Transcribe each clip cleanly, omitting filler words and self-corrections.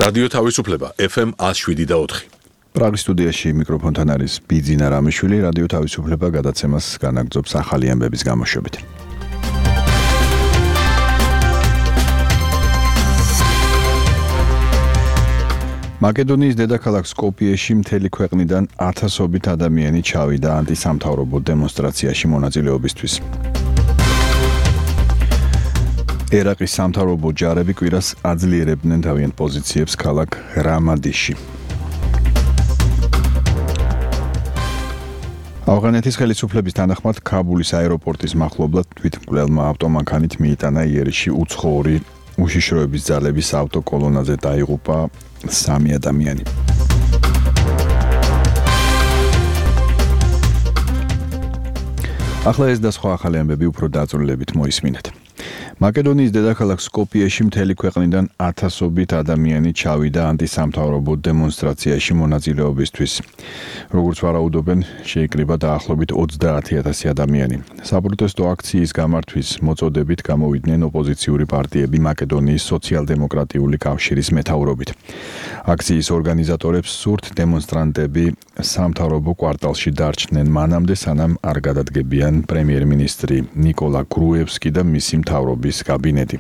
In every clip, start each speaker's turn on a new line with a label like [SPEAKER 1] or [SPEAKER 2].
[SPEAKER 1] რადიო თავისუფლება FM 107.4.
[SPEAKER 2] პრაღის სტუდიაში მიკროფონთან არის ბიძინა რამიშვილი. რადიო თავისუფლება გადაცემას განაგრძობს ახალი ამბების გამოშვებით. მაკედონიის დედაქალაქ სკოპიეში მთელი ქვეყნიდან ათასობით ადამიანი ჩავიდა ანტისამთავრობო დემონსტრაციაში მონაწილეობისთვის. ერაყის სამთავრობო ჯარები კვირას აძლიერებდნენ თავიანთ პოზიციებს ქალაქ რამადიში. ავღანეთის ხელისუფლების თანახმად ქაბულის აეროპორტის მახლობლად თვითმკვლელმა ავტომანქანით მიიტანა იერიში უცხოური უშიშროების ძალების ავტოკოლონაზე დაიღუპა 3 ადამიანი. ახლა ეს და სხვა ახალი ამბები უფრო დაწვრილებით მოისმინეთ. მაკედონიის დედაქალაქ სკოპიეში მთელი ქვეყნიდან ათასობით ადამიანი ჩავიდა ანტისამთავრობო დემონსტრაციაში მონაწილეობისთვის. როგორც ვარაუდობენ, შეიკრიბა დაახლოებით 30,000 ადამიანი. საპროტესტო აქციის გამართვის მოწოდებით გამოვიდნენ ოპოზიციური პარტიები მაკედონიის სოციალ-დემოკრატიული კავშირის მეთაურობით. აქციის ორგანიზატორებს სურთ დემონსტრანტები სამთავრობო კვარტალში დარჩნენ მანამდე, სანამ არ გადადგებიან პრემიერ-მინისტრი ნიკოლა გრუევსკი და მისი მთავრობის კაბინეტი.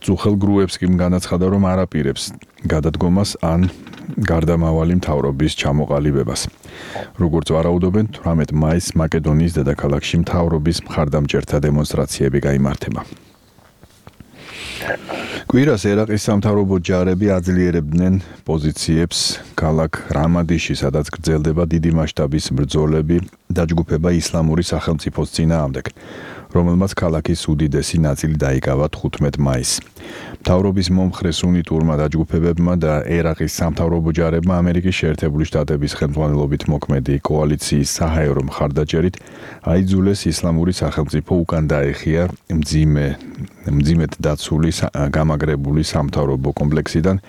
[SPEAKER 2] წუხელ გრუევსკიმ განაცხადა, რომ არ აპირებს გადადგომას ან გარდამავალი მთავრობის ჩამოყალიბებას. როგორც ვარაუდობენ, 18 მაისს მაკედონიის დედაქალაქში მთავრობის მხარდამჭერთა დემონსტრაციები გაიმართება. კვირას ერაყის სამთავრობო ჯარები აძლიერებდნენ პოზიციებს ქალაქ რამადიში, სადაც გრძელდება დიდი მასშტაბის ბრძოლები დაჯგუფება ისლამური სახელმწიფოს წინააღმდეგ, რომელმაც ქალაქის უდიდესი ნაწილი დაიკავა 15 მაისს. მთავრობის მომხრე სუნიტურმა დაჯგუფებებმა და ერაყის სამთავრობო ჯარებმა ამერიკის შეერთებული შტატების ხელმძღვანელობით მოქმედი კოალიციის საჰაერო მხარდაჭერით აიძულეს ისლამური სახელმწიფო უკან დაეხია მძიმედ დაცული გამაგრებული სამთავრობო კომპლექსიდან,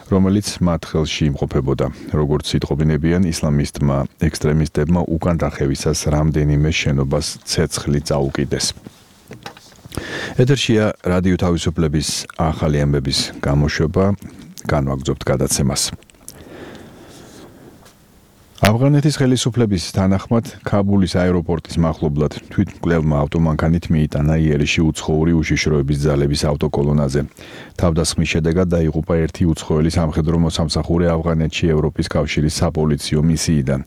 [SPEAKER 2] რომელიც მათ ხელში იმყოფებოდა. როგორც იტყობინებიან, ისლამისტმა ექსტრემისტებმა უკან დახევისას რამდენიმე შენობას ცეცხლი წაუკიდეს. ეთერშია რადიო თავისუფლების ახალი ამბების გამოშვება, განვაგრძობთ გადაცემას. ავღანეთის ხელისუფლების თანახმად ქაბულის აეროპორტის მახლობლად თვითმკვლელმა ავტომანქანით მიიტანა იერიში უცხოური უშიშროების ძალების ავტოკოლონაზე. თავდასხმის შედეგად დაიღუპა ერთი უცხოელი სამხედრო მოსამსახურე ავღანეთში ევროპის კავშირის საპოლიციო მისიიდან,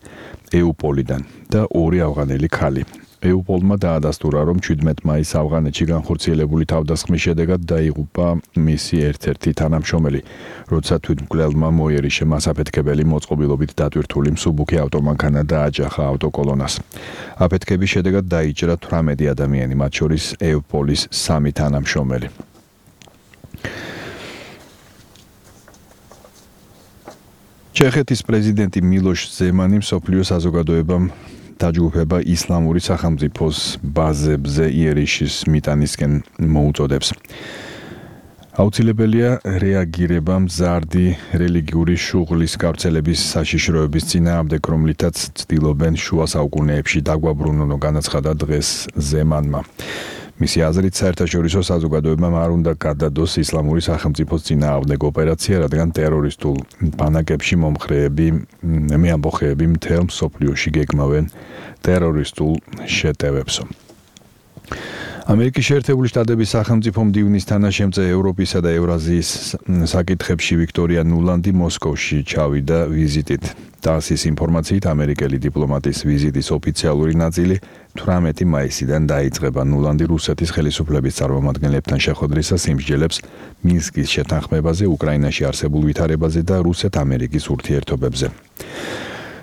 [SPEAKER 2] ეუპოლიდან და 2 ავღანელი ქალი. ეუპოლმა დაადასტურა, რომ 17 მაისს ავღანეთში განხორციელებული თავდასხმის შედეგად დაიღუპა მისი ერთ-ერთი თანამშრომელი, როცა თვითმკვლელმა მოიერიშე მასაფეთქებელი მოწყობილობით დატვირთული მსუბუქი ავტომანქანა დააჯახა ავტოკოლონას. აფეთქების შედეგად დაიჭრა 18 ადამიანი, მათ შორის ეუპოლის 3 თანამშრომელი. ჩეხეთის პრეზიდენტი მილოშ ზემანი მსოფლიო საზოგადოებამ დაჯგუფება ისლამური სახელმწიფოს ბაზებზე იერიშის მიტანისკენ მოუწოდებს. აუცილებელია რეაგირება მზარდი რელიგიური შუღლის გავრცელების საშიშროების წინააღმდეგ, რომლითაც ცდილობენ შუა საუკუნეებში დაგვაბრუნონ, განაცხადა დღეს ზემანმა. მისი აზრით, საერთაშორისო საზოგადოებამ არ უნდა გადადოს ისლამური სახელმწიფოს წინააღმდეგ ოპერაცია, რადგან ტერორისტულ ბანაკებში მომხრეები მეამბოხეები მთელ მსოფლიოში გეგმავენ ტერორისტულ შეტევებსო. ამერიკის შეერთებული შტატების სახელმწიფო მდივნის თანაშემწე ევროპისა და ევრაზიის საკითხებში ვიქტორია ნულანდი მოსკოვში ჩავიდა ვიზიტით. TASS-ის ინფორმაციით, ამერიკელი დიპლომატის ვიზიტის ოფიციალური ნაწილი 18 მაისიდან დაიწყება. ნულანდი რუსეთის ხელისუფლების წარმომადგენლებთან შეხვედრისას იმსჯელებს მინსკის შეთანხმებაზე, უკრაინაში არსებულ ვითარებაზე და რუსეთ-ამერიკის ურთიერთობებზე.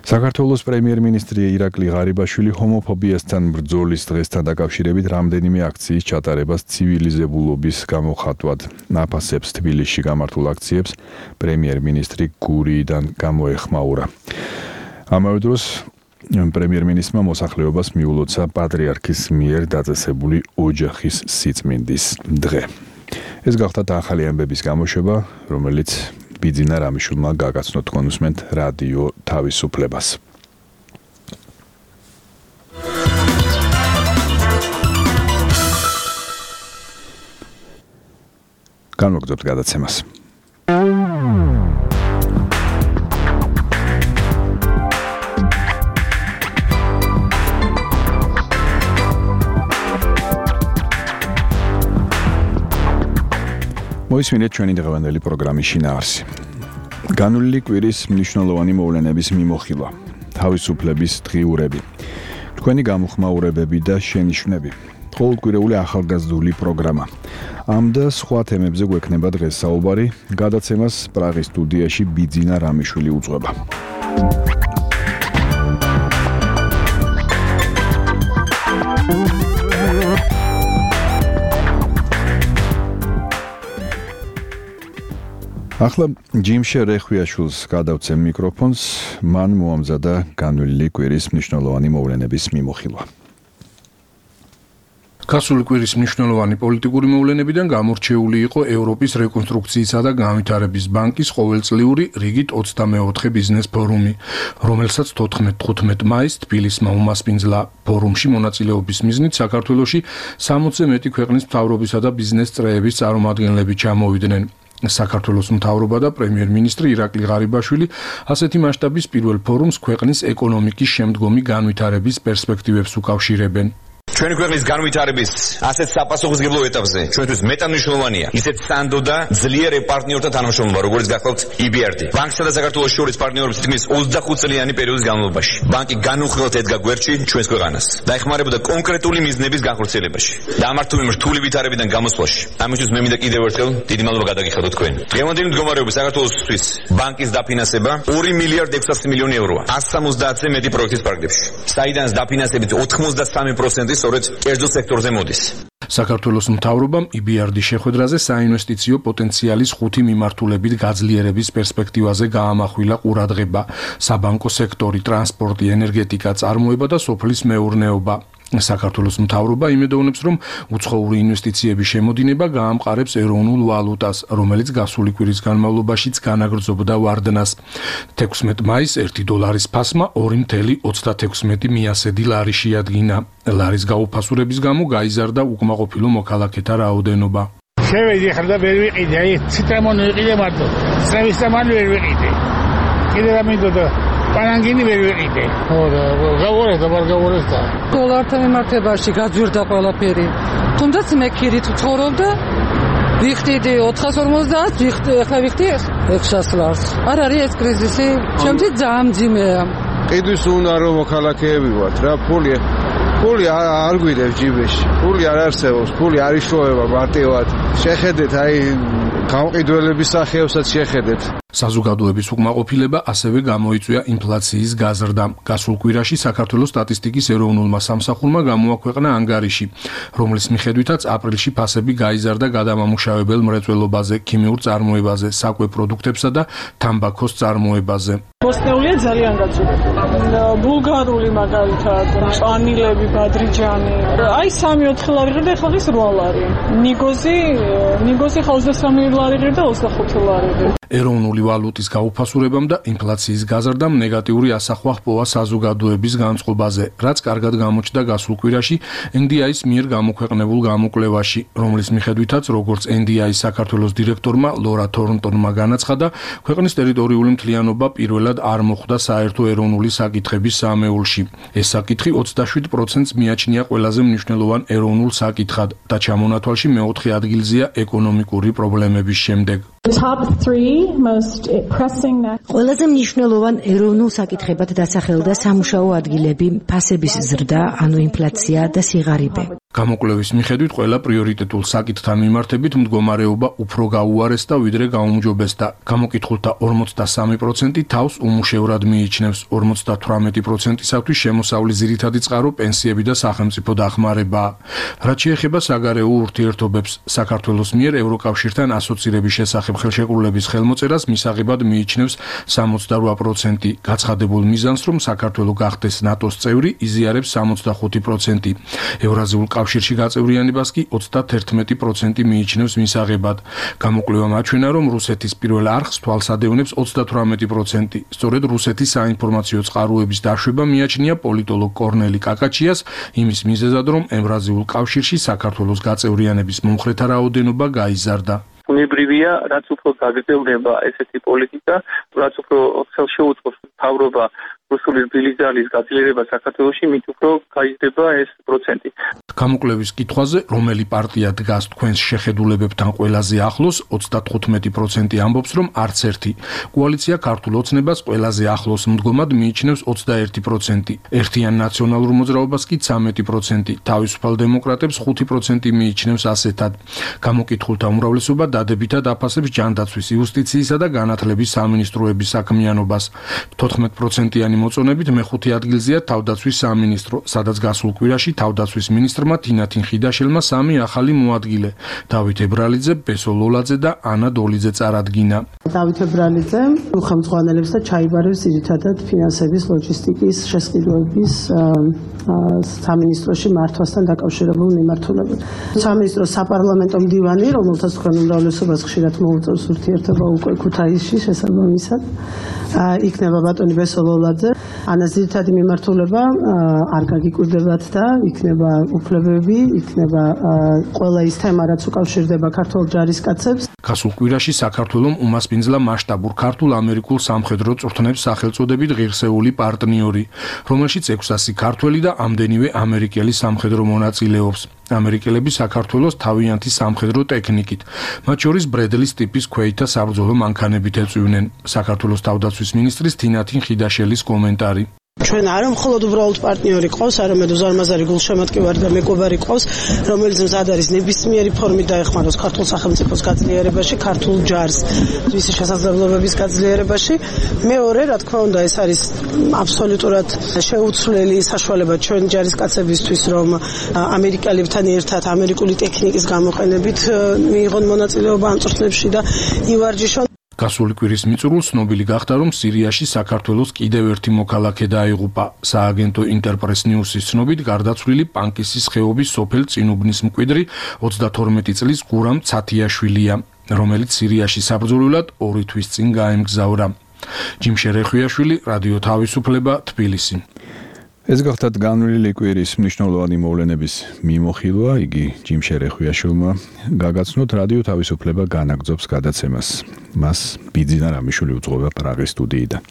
[SPEAKER 2] საქართველოს პრემიერ-მინისტრი ირაკლი ღარიბაშვილი ჰომოფობიასთან ბრძოლის დღესთან დაკავშირებით რამდენიმე აქციის ჩატარებას ცივილიზებულობის გამოხატვად აფასებს. თბილისში გამართულ აქციებს პრემიერ-მინისტრი გურიიდან გამოეხმაურა. ამავე დროს პრემიერ-მინისტრმა მოსახლეობას მიულოცა პატრიარქის მიერ დაწესებული ოჯახის სიწმინდის დღე. ეს გახდა ახალი ამბების გამოშვება, რომელიც ბიძინა რამიშვილმა გაგაცნო. თქვენ უსმენთ რადიო თავისუფლებას. განვაგრძობთ გადაცემას. მოისმინეთ ჩვენი დღევანდელი პროგრამის შინაარსი. განვლილი კვირის მნიშვნელოვანი მოვლენების მიმოხილვა, თავისუფლების დღიურები, თქვენი გამოხმაურებები და შენიშვნები, ყოველკვირეული ახალგაზრდული პროგრამა. ამ და სხვა თემებზე გვექნება დღეს საუბარი, გადაცემას პრაღის სტუდიაში ბიძინა რამიშვილი უძღვება. ახლა ჯიმშე რეხვიაშვილს გადავცემ მიკროფონს, მან მოამზადა განვლილი კვირის მნიშვნელოვანი მოვლენების მიმოხილვა.
[SPEAKER 3] გასული კვირის მნიშვნელოვანი პოლიტიკური მოვლენებიდან გამორჩეული იყო ევროპის რეკონსტრუქციისა და განვითარების ბანკის ყოველწლიური რიგით 24 ბიზნეს ფორუმი, რომელსაც 14-15 მაისს თბილისმა უმასპინძლა. ფორუმში მონაწილეობის მიზნით საქართველოში 60-ზე მეტი ქვეყნის მთავრობისა და ბიზნეს წრეების წარმომადგენლები ჩამოვიდნენ. საქართველოს მთავრობა და პრემიერ-მინისტრი ირაკლი ღარიბაშვილი ასეთი მასშტაბის პირველ ფორუმს ქვეყნის ეკონომიკის შემდგომი განვითარების პერსპექტივებს უკავშირებენ.
[SPEAKER 4] ჩვენი ქვეყნის განვითარების ასეთ საპასუხისმგებლო ეტაპზე ჩვენთვის მეტად მნიშვნელოვანია ისეთ სანდო და ძლიერ პარტნიორთა თანამშრომლობა, როგორც გახლავთ EBRD. ბანკსა და საქართველოს შორის პარტნიორობის თქმის 25 წლიანი პერიოდის განმავლობაში. ბანკი განუხრელად ედგა გვერდში ჩვენს ქვეყანას და ეხმარებოდა კონკრეტული მიზნების განხორციელებაში და ამართული რთული ვითარებიდან გამოსვლაში. ამისთვის მე მინდა კიდევ ერთხელ დიდი მადლობა გადაგიხადოთ თქვენ. დღევანდელი მდგომარეობით საქართველოსთვის ბანკის დაფინანსება 2 მილიარდ 600 მილიონი ევროა 170-ზე მეტი პროექტის პარკებში, საიდანაც დაფინანსებით 93% სწორედ კერძო სექტორზე მოდის.
[SPEAKER 3] საქართველოს მთავრობამ EBRD-ის შეხვედრაზე საინვესტიციო პოტენციალის 5 მიმართულებით გაძლიერების პერსპექტივაზე გაამახვილა ყურადღება: საბანკო სექტორი, ტრანსპორტი, ენერგეტიკა, წარმოება და სოფლის მეურნეობა. საქართველოს მთავრობა იმედოვნებს, რომ უცხოური ინვესტიციების შემოდინება გაამყარებს ეროვნულ ვალუტას, რომელიც გასული კვირის განმავლობაშიც განაგრძობდა ვარდნას. 16 მაისს $1 ფასმა 2,36 მიასედი ლარი შეადგინა. ლარის გაუფასურების გამო გაიზარდა უკმაყოფილო მოქალაქეთა რაოდენობა.
[SPEAKER 5] შევედი ახლა და ვერ ვიყიდე, აი ციტრამონი ვიყიდე მარტო. სრევის სამალი ვერ ვიყიდე. კიდე რა მინდოდა პანანგინი ვერ ვიყიდე. ხო და გავუარეს და ვერ გავუარეს და
[SPEAKER 6] დოლართან მიმართებაში გაძვირდა ყველაფერი. თუნდაც მე ქირით ვცხოვრობდა, ვიხდიდი 450, ახლა ვიხდი 600 ლარს. არ არის ეს კრიზისი, შემთხვევით ძალიან მძიმეა.
[SPEAKER 7] ყიდვის უნდა რომ მოქალაქეები ვართ რა, ფული არ გვიდევს ჯიბეში, ფული არ არსებობს, ფული არ იშოვება მარტივად. შეხედეთ, აი გამყიდველების სახეებსაც შეხედეთ.
[SPEAKER 3] საზოგადოების უკმაყოფილება ასევე გამოიწვია ინფლაციის გაზრდამ. გასულ კვირაში საქართველოს სტატისტიკის ეროვნულმა სამსახურმა გამოაქვეყნა ანგარიში, რომლის მიხედვითაც აპრილში ფასები გაიზარდა გადამამუშავებელ მრეწველობაზე, ქიმიურ წარმოებაზე, საკვე პროდუქტებსა და თამბაქოს წარმოებაზე.
[SPEAKER 8] ბოსნეულია ძალიან გაწურებული. ბულგარული მაგალითად, ჭანილები, ბადრიჯანი. აი 3-4 ლარი ღირდა, ახლა ის 8 ლარი. ნიგოზი ხა 23 ლარი ღირდა, 25 ლარი ღირდა.
[SPEAKER 3] ეროვნული ვალუტის გაუფასურებამ და ინფლაციის გაზრდამ ნეგატიური ასახვა ჰპოვა საზოგადოების განწყობაზე, რაც კარგად გამოჩნდა გასულ კვირაში NDI-ის მიერ გამოქვეყნებულ გამოკვლევაში, რომლის მიხედვითაც როგორც NDI-ის საქართველოს დირექტორმა ლორა თორნტონმა განაცხადა, ქვეყნის ტერიტორიული მთლიანობა პირველად არ მოხვდა საერთო ეროვნული საკითხების სამეულში. ეს საკითხი 27%-ს მიაჩნია ყველაზე მნიშვნელოვან ეროვნულ საკითხად და ჩამონათვალში მეოთხე ადგილზეა ეკონომიკური პრობლემების შემდეგ.
[SPEAKER 9] ყველაზე მნიშვნელოვან ეროვნულ საკითხებად დასახელდა სამუშაო ადგილები, ფასების ზრდა, ანუ ინფლაცია და სიღარიბე.
[SPEAKER 3] გამოკვლევის მიხედვით ყველა პრიორიტეტულ საკითხთან მიმართებით მდგომარეობა უფრო გაუარესდა ვიდრე გაუმჯობესდა. გამოკითხულთა 43% თავს უმუშევრად მიიჩნევს, 58%-ისათვის შემოსავლის ძირითადი წყარო პენსიები და სახელმწიფო დახმარებაა. რაც შეეხება საგარეო ურთიერთობებს, საქართველოს მიერ ევროკავშირთან ასოცირების შესახებ ხელშეკრულების ხელმოწერას მისაღებად მიიჩნევს 68%. გაცხადებულ მიზანს, რომ საქართველო გახდეს ნატოს წევრი, იზიარებს 65%. ევრაზიულ კავშირში გაწევრიანებას კი 31% მიიჩნევს მისაღებად. გამოკვლევამ აჩვენა, რომ რუსეთის პირველ არხს თვალს ადევნებს 38%. სწორედ რუსეთის საინფორმაციო წყაროების დაშვება მიაჩნია პოლიტოლოგ კორნელი კაკაჩიას იმის მიზეზად, რომ ევრაზიულ კავშირში საქართველოს გაწევრიანების მომხრეთა რაოდენობა გაიზარდა.
[SPEAKER 10] ბუნებრივია, რაც უფრო გაგრძელდება ესეთი პოლიტიკა, რაც უფრო ხელშეუწყობს მთავრობა რუსული რბილი გაძლიერება საქართველოში, მით უფრო გაიზრდება ეს პროცენტი.
[SPEAKER 3] გამოკვლევის კითხვაზე, რომელი პარტია დგას თქვენს შეხედულებებთან ყველაზე ახლოს, 35% ამბობს, რომ არც ერთი. კოალიცია ქართულ ოცნებას ყველაზე ახლოს მდგომად მიიჩნევს 21%. ერთიან ნაციონალურ მოძრაობას კი 13%. თავისუფალ დემოკრატებს 5% მიიჩნევს ასეთად. გამოკითხულთა უმრავლესობა დადებითად აფასებს ჯანდაცვის, იუსტიციისა და განათლების სამინისტროების საქმიანობას. 14%-იანი მოწონებით მეხუთე ადგილზეა თავდაცვის სამინისტრო, სადაც გასულ კვირაში თავდაცვის მინისტრმა თინათინ ხიდაშელმა 3 ახალი მოადგილე. დავით ებრალიძე, ბესო ლოლაძე და ანა დოლიძე წარადგინა.
[SPEAKER 11] დავით ებრალიძე უხელმძღვანელებს და ჩაიბარებს ძირითადად ფინანსების, ლოჯისტიკის, შესყიდვების სამინისტროში მართვასთან დაკავშირებულ მიმართულებით. სამინისტროს საპარლამენტო მდივანი, რომელსაც თქვენ უმრავლესობას ხშირად მოუწევს ურთიერთობა უკვე ქუთაისში შესაბამისად, იქნება ბატონი ბესო ლოლაძე. ანას ძირითადი მიმართულება არ გაგიკვირდებათ და იქნება უფლებები, იქნება ყველა ის თემა, რაც უკავშირდება ქართულ ჯარისკაცებს.
[SPEAKER 3] გასულ კვირაში საქართველომ უმასპინძლა მასშტაბურ ქართულ-ამერიკულ სამხედრო წვრთნებს სახელწოდებით ღირსეული პარტნიორი, რომელშიც 600 ქართველი და ამდენივე ამერიკელი სამხედრო მონაწილეობს. ამერიკელები საქართველოს თავიანთი სამხედრო ტექნიკით, მათ შორის ბრედლის ტიპის ქვეითა საბრძოლო მანქანებით ეწვივნენ. საქართველოს თავდაცვის მინისტრის თინათინ ხიდაშელის კომენტარი.
[SPEAKER 11] ჩვენ არ მხოლოდ უბრალოდ პარტნიორი ყავს, არამედ უზარმაზარი გულშემატკივარი და მეგობარი ყავს, რომელიც მზად არის ნებისმიერი ფორმით დაეხმაროს ქართულ სახელმწიფოს გაძლიერებაში, ქართულ ჯარს მისი შესაძლებლობების გაძლიერებაში. მეორე, რა თქმა უნდა, ეს არის აბსოლუტურად შეუცვლელი საშუალება ჩვენ ჯარისკაცებისთვის, რომ ამერიკელებთან ერთად ამერიკული ტექნიკის გამოყენებით მიიღონ მონაწილეობა ამ წვრთნებში და ივარჯიშონ.
[SPEAKER 3] გასული კვირის მიწურულს ცნობილი გახდა, რომ სირიაში საქართველოს კიდევ ერთი მოქალაქე დაიღუპა. სააგენტო ინტერპრეს ნიუსის ცნობით, გარდაცვლილი პანკისის ხეობის სოფელ წინუბნის მკვიდრი 32 წლის გურამ ცათიაშვილია, რომელიც სირიაში საბრძოლველად 2 თვის წინ გაემგზავრა. ჯიმშე რეხვიაშვილი, რადიო თავისუფლება, თბილისი.
[SPEAKER 2] ეს გახდათ განვლილი კვირის მნიშვნელოვანი მოვლენების მიმოხილვა, იგი ჯიმშე რეხვიაშვილმა გაგაცნოთ რადიო თავისუფლება განაგრძობს გადაცემას. მას ბიძინა რამიშვილი უძღვება პრაღის სტუდიიდან.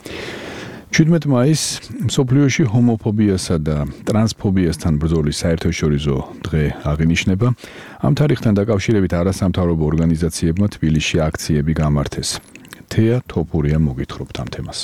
[SPEAKER 2] 17 მაისს მსოფლიოში ჰომოფობიასა და ტრანსფობიასთან ბრძოლის საერთაშორისო დღე აღინიშნება. ამ თარიღთან დაკავშირებით არასამთავრობო ორგანიზაციებმა თბილისში აქციები გამართეს. თეა თოფურია მოგითხრობთ ამ თემას.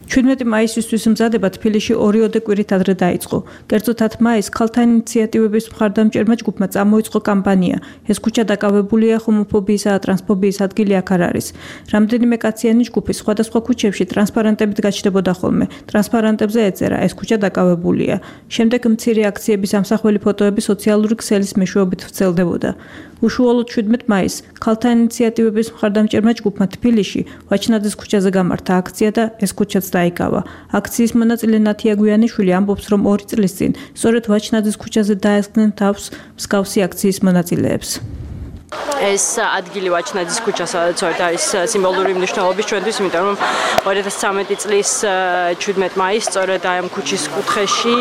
[SPEAKER 12] 17 მაისისთვის მზადება თბილისში 2 კვირით ადრე დაიწყო. კერძოდ 10 მაისს ქალთა ინიციატივების მხარდამჭერმა ჯგუფმა წამოიწყო კამპანია. ეს ქუჩა დაკავებულია ჰომოფობიისა და ტრანსფობიის ადგილი აქ არ არის. რამდენიმე კაციანი ჯგუფი სხვადასხვა ქუჩებში ტრანსპარენტებით გაჩნდებოდა ხოლმე. ტრანსპარენტებზე ეწერა ეს ქუჩა დაკავებულია. შემდეგ მცირე აქციების ამსახველი ფოტოები სოციალური ქსელის მეშვეობით ვრცელდებოდა. უშუალოდ 17 მაისს ქალთა ინიციატივების მხარდამჭერმა ჯგუფმა თბილისში ვაჩნაძის ქუჩაზე გამართა აქცია და ეს ქუჩაც დაიკავა. აქციის მონაწილე ნათია გვიანიშვილი ამბობს, რომ 2 წლის წინ სწორედ ვაჩნაძის ქუჩაზე დაესხნენ თავს მსგავსი აქციის მონაწილეებს.
[SPEAKER 13] ეს ადგილი ვაჩნაძის ქუჩა, სადაც არის სიმბოლური მნიშვნელობის ჩვენთვის, იმიტომ რომ 2013 წლის 17 მაისს სწორედ ამ ქუჩის კუთხეში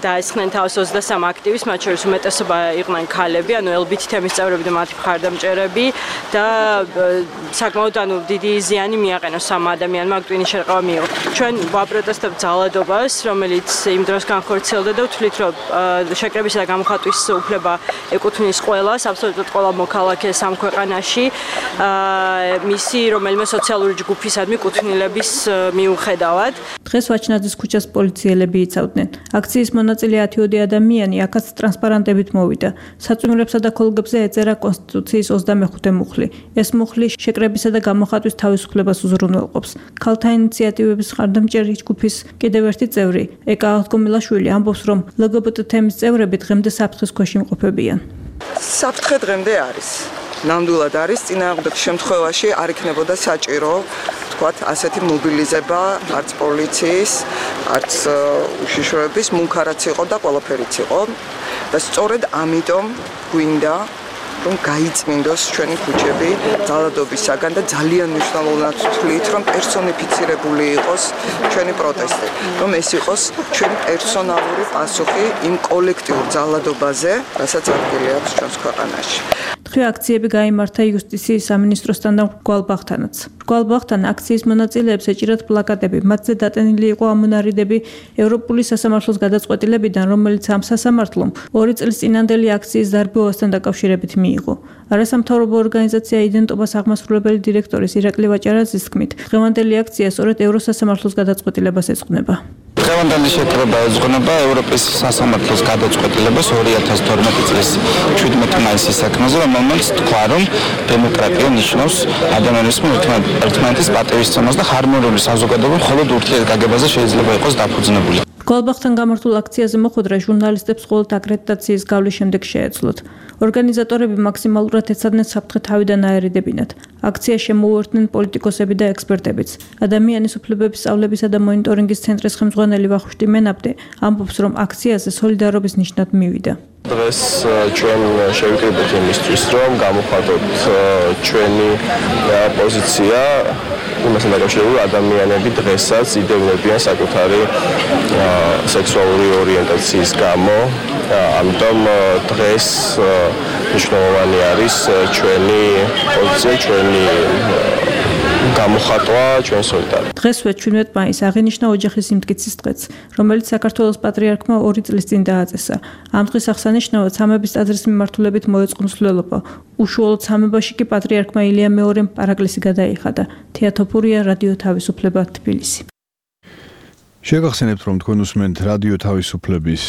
[SPEAKER 13] დაესხნენ თავს 23 აქტივისტს, მათ შორის უმეტესობა იყვნენ ქალები, ანუ LGBT თემის წევრები და მათი მხარდამჭერები და საკმაოდ დიდი ზიანი მიაყენოს ამ ადამიანმა, აქ ტვინის შერყევა მიიღო. ჩვენ ვაპროტესტებთ ძალადობას, რომელიც იმ დროს განხორციელდა და ვთვლით, რომ შეკრებისა და გამოხატვის უფლება ეკუთვნის ყველას, აბსოლუტურად ყველა მოქალაქეს ამ ქვეყანაში, მისი რომელიმე სოციალური ჯგუფისადმი კუთვნილების მიუხედავად.
[SPEAKER 12] დღეს ვაჩნაძის ქუჩას პოლიციელები იცავდნენ. აქციის მონაწილე 10 ადამიანი აქაც ტრანსპარენტებით მოვიდა. საწვიმრებსა და ქოლგებზე ეწერა კონსტიტუციის 25 მუხლი. ეს მუხლი შეკრებისა და გამოხატვის თავისუფლებას უზრუნველყოფს. ქალთა ინიციატივების მხარდამჭერი ჯგუფის კიდევ ერთი წევრი, ეკა აღდგომილაშვილი ამბობს, რომ LGBT თემის წევრები დღემდე საფრთხის ქვეშ იმყოფებიან.
[SPEAKER 14] საფრთხე დღემდე არის. ნამდვილად არის, წინააღმდეგ შემთხვევაში არ იქნებოდა საჭირო, თქვათ, ასეთი მობილიზება, არც პოლიციის, არც უშიშროების, მუნქარაც იყო და ყველაფერიც იყო. და სწორედ ამიტომ გვინდა რომ გაიწმინდოს ჩვენი ქუჩები ძალადობისაგან და ძალიან მნიშვნელოვნად ვთვლით, რომ პერსონიფიცირებული იყოს ჩვენი პროტესტი, რომ ეს იყოს ჩვენი პერსონალური პასუხი იმ კოლექტიურ ძალადობაზე, რასაც ადგილი აქვს ჩვენს ქვეყანაში.
[SPEAKER 12] მესამე აქციები გაიმართა იუსტიციის სამინისტროსთან და მრგვალბაღთანაც. მრგვალბაღთან აქციის მონაწილეებს ეჭირათ პლაკატები, მათზე დატანილი იყო ამონარიდები ევროპული სასამართლოს გადაწყვეტილებიდან, რომელიც ამ სასამართლომ 2 წლის წინანდელი აქციის დარბევასთან დაკავშირებით მიიღო. არასამთავრობო ორგანიზაცია იდენტობას აღმასრულებელი დირექტორის ირაკლი ვაჭარაძის თქმით, დღევანდელი აქცია სწორედ ევროსასამართლოს გადაწყვეტილებას ეძღვნება.
[SPEAKER 15] დღევანდელი შეკრება ეძღვნება ევროპის სასამართლოს გადაწყვეტილებას 2012 წლის 17 მაისის საქმეზე, რომელმაც თქვა, რომ დემოკრატია ნიშნავს ადამიანის ერთმანეთის პატივისცემას და ჰარმონიული საზოგადოება მხოლოდ ურთიერთგაგებაზე შეიძლება იყოს დაფუძნებული.
[SPEAKER 12] მრგვალბაღთან გამართულ აქციაზე მოხვედრა ჟურნალისტებს მხოლოდ აკრედიტაციის გავლის შემდეგ შეეძლოთ. ორგანიზატორები მაქსიმალურად ეცადნენ საფრთხე თავიდან აერიდებინათ. აქცია შემოუერთდნენ პოლიტიკოსები და ექსპერტებიც. ადამიანის უფლებების სწავლებისა და მონიტორინგის ცენტრის ხელმძღვანელი ვახუშტი მენაბდე ამბობს, რომ აქციაზე სოლიდარობის ნიშნად მივიდა.
[SPEAKER 16] დღეს ჩვენ შევიკრიბეთ იმისთვის, რომ გამოვხატოთ ჩვენი პოზიცია იმასთან დაკავშირებით, ადამიანები დღესაც იდევნებიან საკუთარი სექსუალური ორიენტაციის გამო. ამიტომ დღეს მნიშვნელოვანი არის ჩვენი პოზიცია, ჩვენი გამოხატვა, ჩვენ სოლიდარობა.
[SPEAKER 12] დღესვე 17 მაისს აღინიშნა ოჯახის სიმტკიცის დღეც, რომელიც საქართველოს პატრიარქმა 2 წლის წინ დააწესა. ამ დღის აღსანიშნავად სამების ტაძრის მიმართულებით მოეწყო მსვლელობა. უშუალოდ სამებაში კი პატრიარქმა ილია მეორემ პარაკლისი გადაიხადა. თეატოფურია, რადიო თავისუფლება, თბილისი.
[SPEAKER 2] შეგახსენებთ, რომ თქვენ უსმენთ რადიო თავისუფლების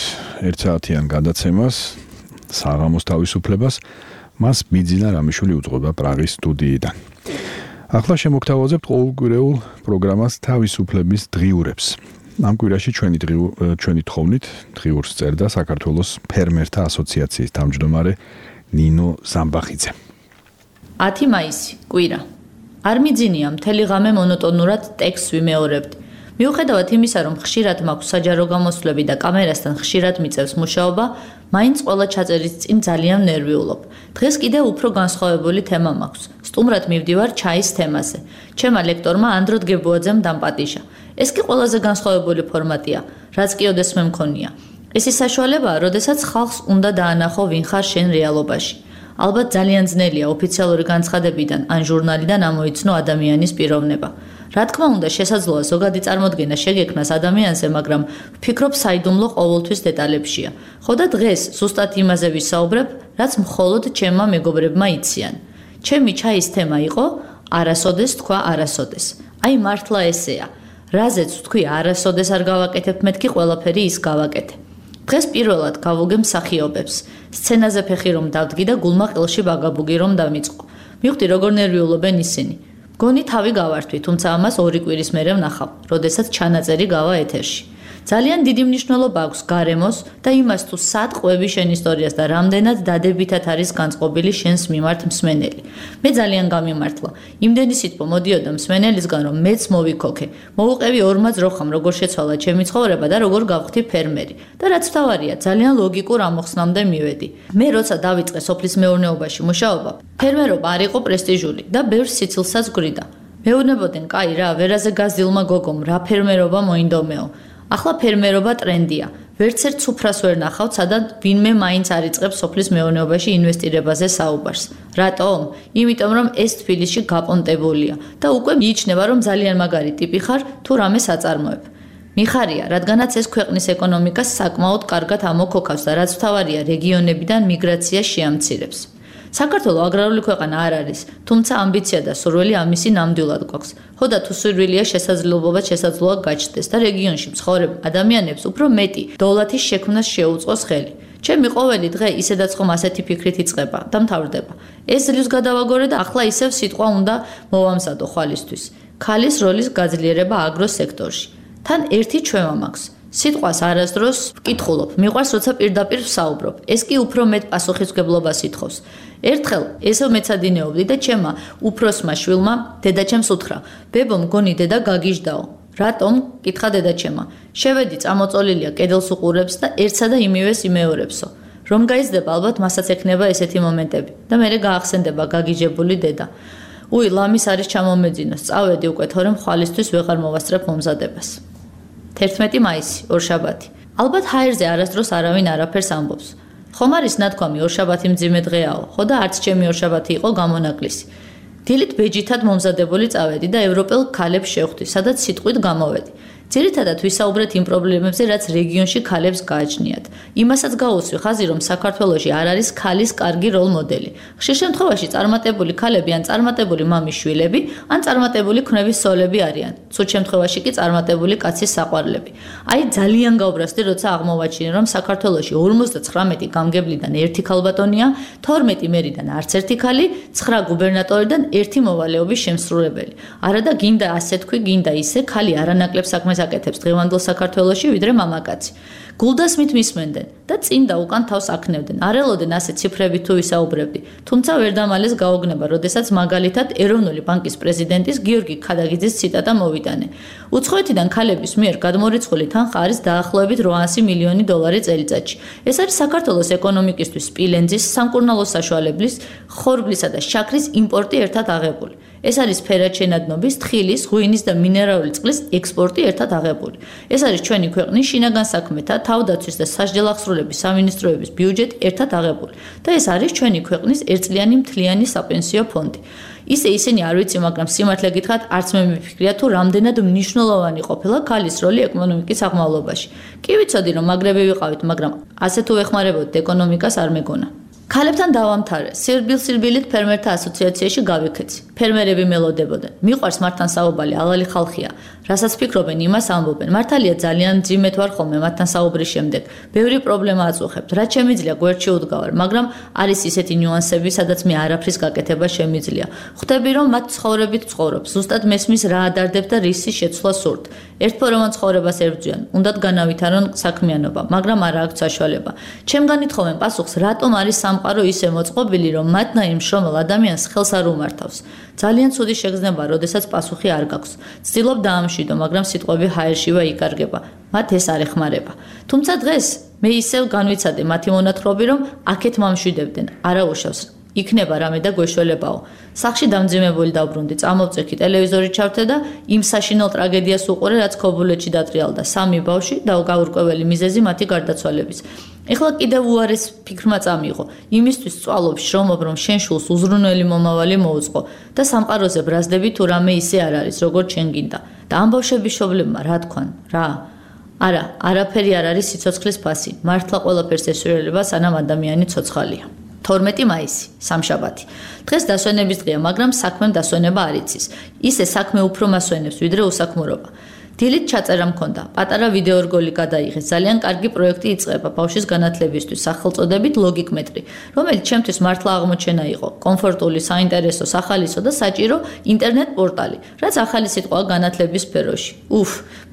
[SPEAKER 2] 1 საათიან გადაცემას, საღამოს თავისუფლებას, მას ბიძინა რამიშვილი უძღვება პრაღის სტუდიიდან. ახლა შემოგთავაზებთ ყოველკვირეულ პროგრამას თავისუფლების დღიურებს. ამ კვირაში ჩვენი თხოვნით დღიურს წერდა საქართველოს ფერმერთა ასოციაციის თავმჯდომარე ნინო ზამბახიძე.
[SPEAKER 17] 10 მაისი, კვირა. არ მიძინია მთელი ღამე მონოტონურად ტექსტს ვიმეორებდი. მიუხედავად იმისა, რომ ხშირად მაქვს საჯარო გამოსვლები და კამერასთან ხშირად მიწევს მუშაობა, მაინც ყველა ჩაწერის წინ ძალიან ნერვიულობ. დღეს კიდევ უფრო განსხვავებული თემა მაქვს. სტუმრად მივდივარ ჩაის თემაზე. ჩემმა ლექტორმა ანდრო დგებუაძემ დამპატიჟა. ეს კი ყველაზე განსხვავებული ფორმატია, რაც კი ოდესმე მე მქონია. ეს ის საშუალებაა, როდესაც ხალხს უნდა დაანახო ვინ ხარ შენ რეალობაში. ალბათ ძალიან ძნელია ოფიციალური განცხადებიდან ან ჟურნალიდან ამოიცნო ადამიანის პიროვნება. რა თქმა უნდა, შესაძლოა ზოგადი წარმოდგენა შეგექმნას ადამიანზე, მაგრამ ვფიქრობ საიდუმლო ყოველთვის დეტალებშია. ხო და დღეს ზუსტად იმაზე ვისაუბრებ, რაც მხოლოდ ჩემმა მეგობრებმა იციან. ჩემი ჩაის თემა იყო არასოდეს თქვა არასოდეს. აი მართლა ესეა. რაზეც ვთქვი არასოდეს არ გავაკეთებ, მეთქი ყველაფერი ის გავაკეთე. დღეს პირველად გავუგე მსახიობებს. სცენაზე ფეხი რომ დავდგი და გულმა ყელში ბაგაბუგი რომ დამიწყო. მივხვდი როგორ ნერვიულობენ ისინი. გონი თავი გავართვი, თუმცა ამას 2 კვირის მერე ვნახავ, როდესაც ჩანაწერი გავა ეთერში. ძალიან დიდი მნიშვნელობა აქვს გარემოს და იმას თუ სად ყვები შენ ისტორიას და რამდენად დადებითად არის განწყობილი შენს მიმართ მსმენელი. მე ძალიან გამიმართლა. იმდენი სიტყვა მოდიოდა მსმენელისგან, რომ მეც მოვიქოქე. მოუყევი ორმაც როხამ, როგორ შეცვალა ჩემი ცხოვრება და როგორ გავხდი ფერმერი. და რაც თავარია, ძალიან ლოგიკურ ამოხსნამდე მივედი. მე როცა დავიწყე სოფლის მეურნეობაში მუშაობა, ფერმერობა არ იყო პრესტიჟული და ბევრ სიცილსაც გვრიდა. მეუბნებოდნენ, კაი რა, ვერაზე გაზილმა გოგომ, რა ფერმერობა მოინდომეო. ახლა ფერმერობა ტრენდია. ვერცერთ სუფრას ვერ ნახავთ, სადაც ვინმე მაინც არ იწყებს სოფლის მეურნეობაში ინვესტირებაზე საუბარს. რატომ? იმიტომ რომ ეს თბილისში გაპონტებულია და უკვე მიიჩნევა, რომ ძალიან მაგარი ტიპი ხარ თუ რამე საწარმოებ. მიხარია, რადგანაც ეს ქვეყნის ეკონომიკას საკმაოდ კარგად ამოქოქავს და რაც თავარია რეგიონებიდან მიგრაცია შეამცირებს. საქართველო აგრარული ქვეყანა არ არის, თუმცა ამბიცია და სურვილი ამისი ნამდვილად გვაქვს. ხო და თუ სურვილია შესაძლოა გაჩნდეს და რეგიონში მცხოვრებ ადამიანებს უფრო მეტი დოლათის შექმნას შეუწყოს ხელი. ჩემი ყოველი დღე ისედაც ხომ ასეთი ფიქრით იწყება და მთავრდება. ეს ძლივს გადავაგორე და ახლა ისევ სიტყვა უნდა მოვამზადო ხალისთვის. ქალის როლის გაძლიერება აგროსექტორში. თან ერთი ჩვევა მაქვს. სიტყვას არასდროს ვკითხულობ, მიყვარს როცა პირდაპირ ვსაუბრობ. ეს კი უფრო მეტ პასუხისმგებლობას ითხოვს. ერთხელ ესეო მეცადინეობდი და ჩემმა უფროსმა შვილმა დედაჩემს უთხრა: "ბებო, მგონი დედა გაგიჟდაო." "რატომ?" კითხა დედაჩემმა. "შევედი, წამოწოლილია, კედელს უყურებს და ერთსა და იმივეს იმეორებსო. რომ გაიზრდება, ალბათ მასაც ექნება ესეთი მომენტები და მერე გაახსენდება გაგიჟებული დედა. უი, ლამის არის ჩამომეძინო, სწავედი უკვე, თორემ ხვალისთვის ვეღარ მოვასწრებ მომზადებას." 11 მაისი, ორშაბათი. ალბათ ჰაერზე არასდროს არავინ არაფერს ამბობს. ხომ არის ნათქვამი ორშაბათი მძიმე დღეაო, ხო და არც ჩემი ორშაბათი იყო გამონაკლისი. დილით ბეჯითად მომზადებული წავედი და ევროპელ ქალებს შევხვდი, სადაც სიტყვით გამოვედი. ძირითადად ვისაუბრეთ იმ პრობლემებზე, რაც რეგიონში ქალებს გააჩნიათ. იმასაც გაუსვი ხაზი, რომ საქართველოში არ არის ქალის კარგი როლ მოდელი. ხშირ შემთხვევაში წარმატებული ქალები ან წარმატებული მამის შვილები, ან წარმატებული ქმნების სოლები არიან. ცუდ შემთხვევაში კი წარმატებული კაცის საყვარლები. აი ძალიან გაუბრასდი, როცა აღმოვაჩინე, რომ საქართველოში 59 გამგებლიდან 1 ქალბატონია, 12 მერიდან არც ერთი ქალი, 9 გუბერნატორიდან 1 მოვალეობის შემსრულებელი. არა და გინდა ასე თქვი, გინდა ისე, ქალი არანაკლებ საქმეს აკეთებს დღევანდელ საქართველოში, ვიდრე მამაკაცი. გულდას მით მისმენდნენ და წინ და უკან თავს აქნევდნენ. არ ელოდნენ ასე ციფრებით თუ ვისაუბრებდი. თუმცა ვერ დამალეს გაოგნება, როდესაც მაგალითად ეროვნული ბანკის პრეზიდენტის გიორგი ქადაგიძის ციტატა მოვიტანე. უცხოეთიდან ქალების მიერ გადმორიცხული თანხა არის დაახლოებით 800 მილიონი დოლარი წელიწადში. ეს არის საქართველოს ეკონომიკისთვის სპილენძის, სამკურნალო საშუალებლის, ხორბლისა და შაქრის იმპორტი ერთად აღებული. ეს არის ფერადშენადნობის, თხილის, ღვინის და მინერალური წყლის ექსპორტი ერთად აღებული. ეს არის ჩვენი ქვეყნის შინაგან საქმეთა, თავდაცვის და სასჯელახსრულების სამინისტროების ბიუჯეტი ერთად აღებული და ეს არის ჩვენი ქვეყნის ერთწლიანი მთლიანი საპენსიო ფონდი. ისინი არ ვიცი, მაგრამ სიმართლე გითხრათ, არც მე მიფიქრია თუ რამდენად მნიშვნელოვანი ყოფილა ქალის როლი ეკონომიკის აღმავლობაში. კი ვიცოდი, რომ მაგრები ვიყავით, მაგრამ ასე თუ ეხმარებოდით ეკონომიკას არ მეგონა. ქალებთან დავამთავრე. სირბილ-სირბილით ფერმერთა ასოციაციაში გავიქეცი. ფერმერები მელოდებოდნენ. მიყვარს მართთან საუბარი, ალალი ხალხია. რასაც ფიქრობენ, იმას ამბობენ. მართალია ძალიან მძიმედ ვარ ხოლმე მათთან საუბრის შემდეგ. ბევრი პრობლემა აწუხებთ. რაც შემიძლია გვერდში უდგავარ, მაგრამ არის ისეთი ნიუანსები, სადაც მე არაფრის გაკეთება შემიძლია. ხვდები, რომ მათ ცხოვრებით ცხოვრობ. ზუსტად მესმის რა ადარდებთ და რისი შეცვლა სურთ. ერთფოროვან ცხოვრებას ებრძვიან. უნდათ განავითარონ საქმიანობა, მაგრამ არა აქვთ საშუალება. ჩემგან ითხოვენ პასუხს, რატომ არის სამყარო ისე მოწყობილი, რომ მათნაირ მშრომელ ადამიანს ხელს არ უმართავს. ძალიან ცუდი შეგრძნება, როდესაც პასუხი არ გაქვს. ცდილობ დაამშვიდო, მაგრამ სიტყვები ჰაერშივე იკარგება. მათ ეს არ ეხმარება. თუმცა დღეს მე ისევ განვიცადე მათი მონათხრობი, რომ აქეთ მომშვიდებდნენ, არა უშავს. იქნება რამე და გვეშველებაო. სახში დამძიმებული დავბრუნდი, წამოვწექი, ტელევიზორი ჩავთე და იმ საშინელ ტრაგედიას უყურე, რაც ქობულეთში დატრიალდა 3 ბავშვი და გაურკვეველი მიზეზი მათი გარდაცვალების. ეხლა კიდევ უარეს ფიქრმა წამიღო. იმისთვის წვალობ, შრომობ, რომ შენ შულს უზრუნველი მომავალი მოუწყო და სამყაროზე ბრაზდები თუ რამე ისე არ არის, როგორც შენ გინდა. და ამ ბავშვების შობლებმა რა თქვან? რა? არა, არაფერი არ არის სიცოცხლის ფასი. მართლა ყველაფერს ესურველება, სანამ ადამიანი ცოცხალია. 12 მაისი, სამშაბათი. დღეს დასვენების დღეა, მაგრამ საქმემ დასვენება არ იცის. ისე საქმე უფრო მასვენებს, ვიდრე უსაქმურობა. დილით ჩაწერა მქონდა. პატარა ვიდეორგოლი გადაიღეს. ძალიან კარგი პროექტი იწყება ბავშვის განათლებისთვის, სახელწოდებით ლოგიკმეტრი, რომელიც ჩემთვის მართლა აღმოჩენა იყო. კომფორტული, საინტერესო, სახალისო და საჭირო ინტერნეტ პორტალი, რაც ახალი სიტყვაა განათლების სფეროში.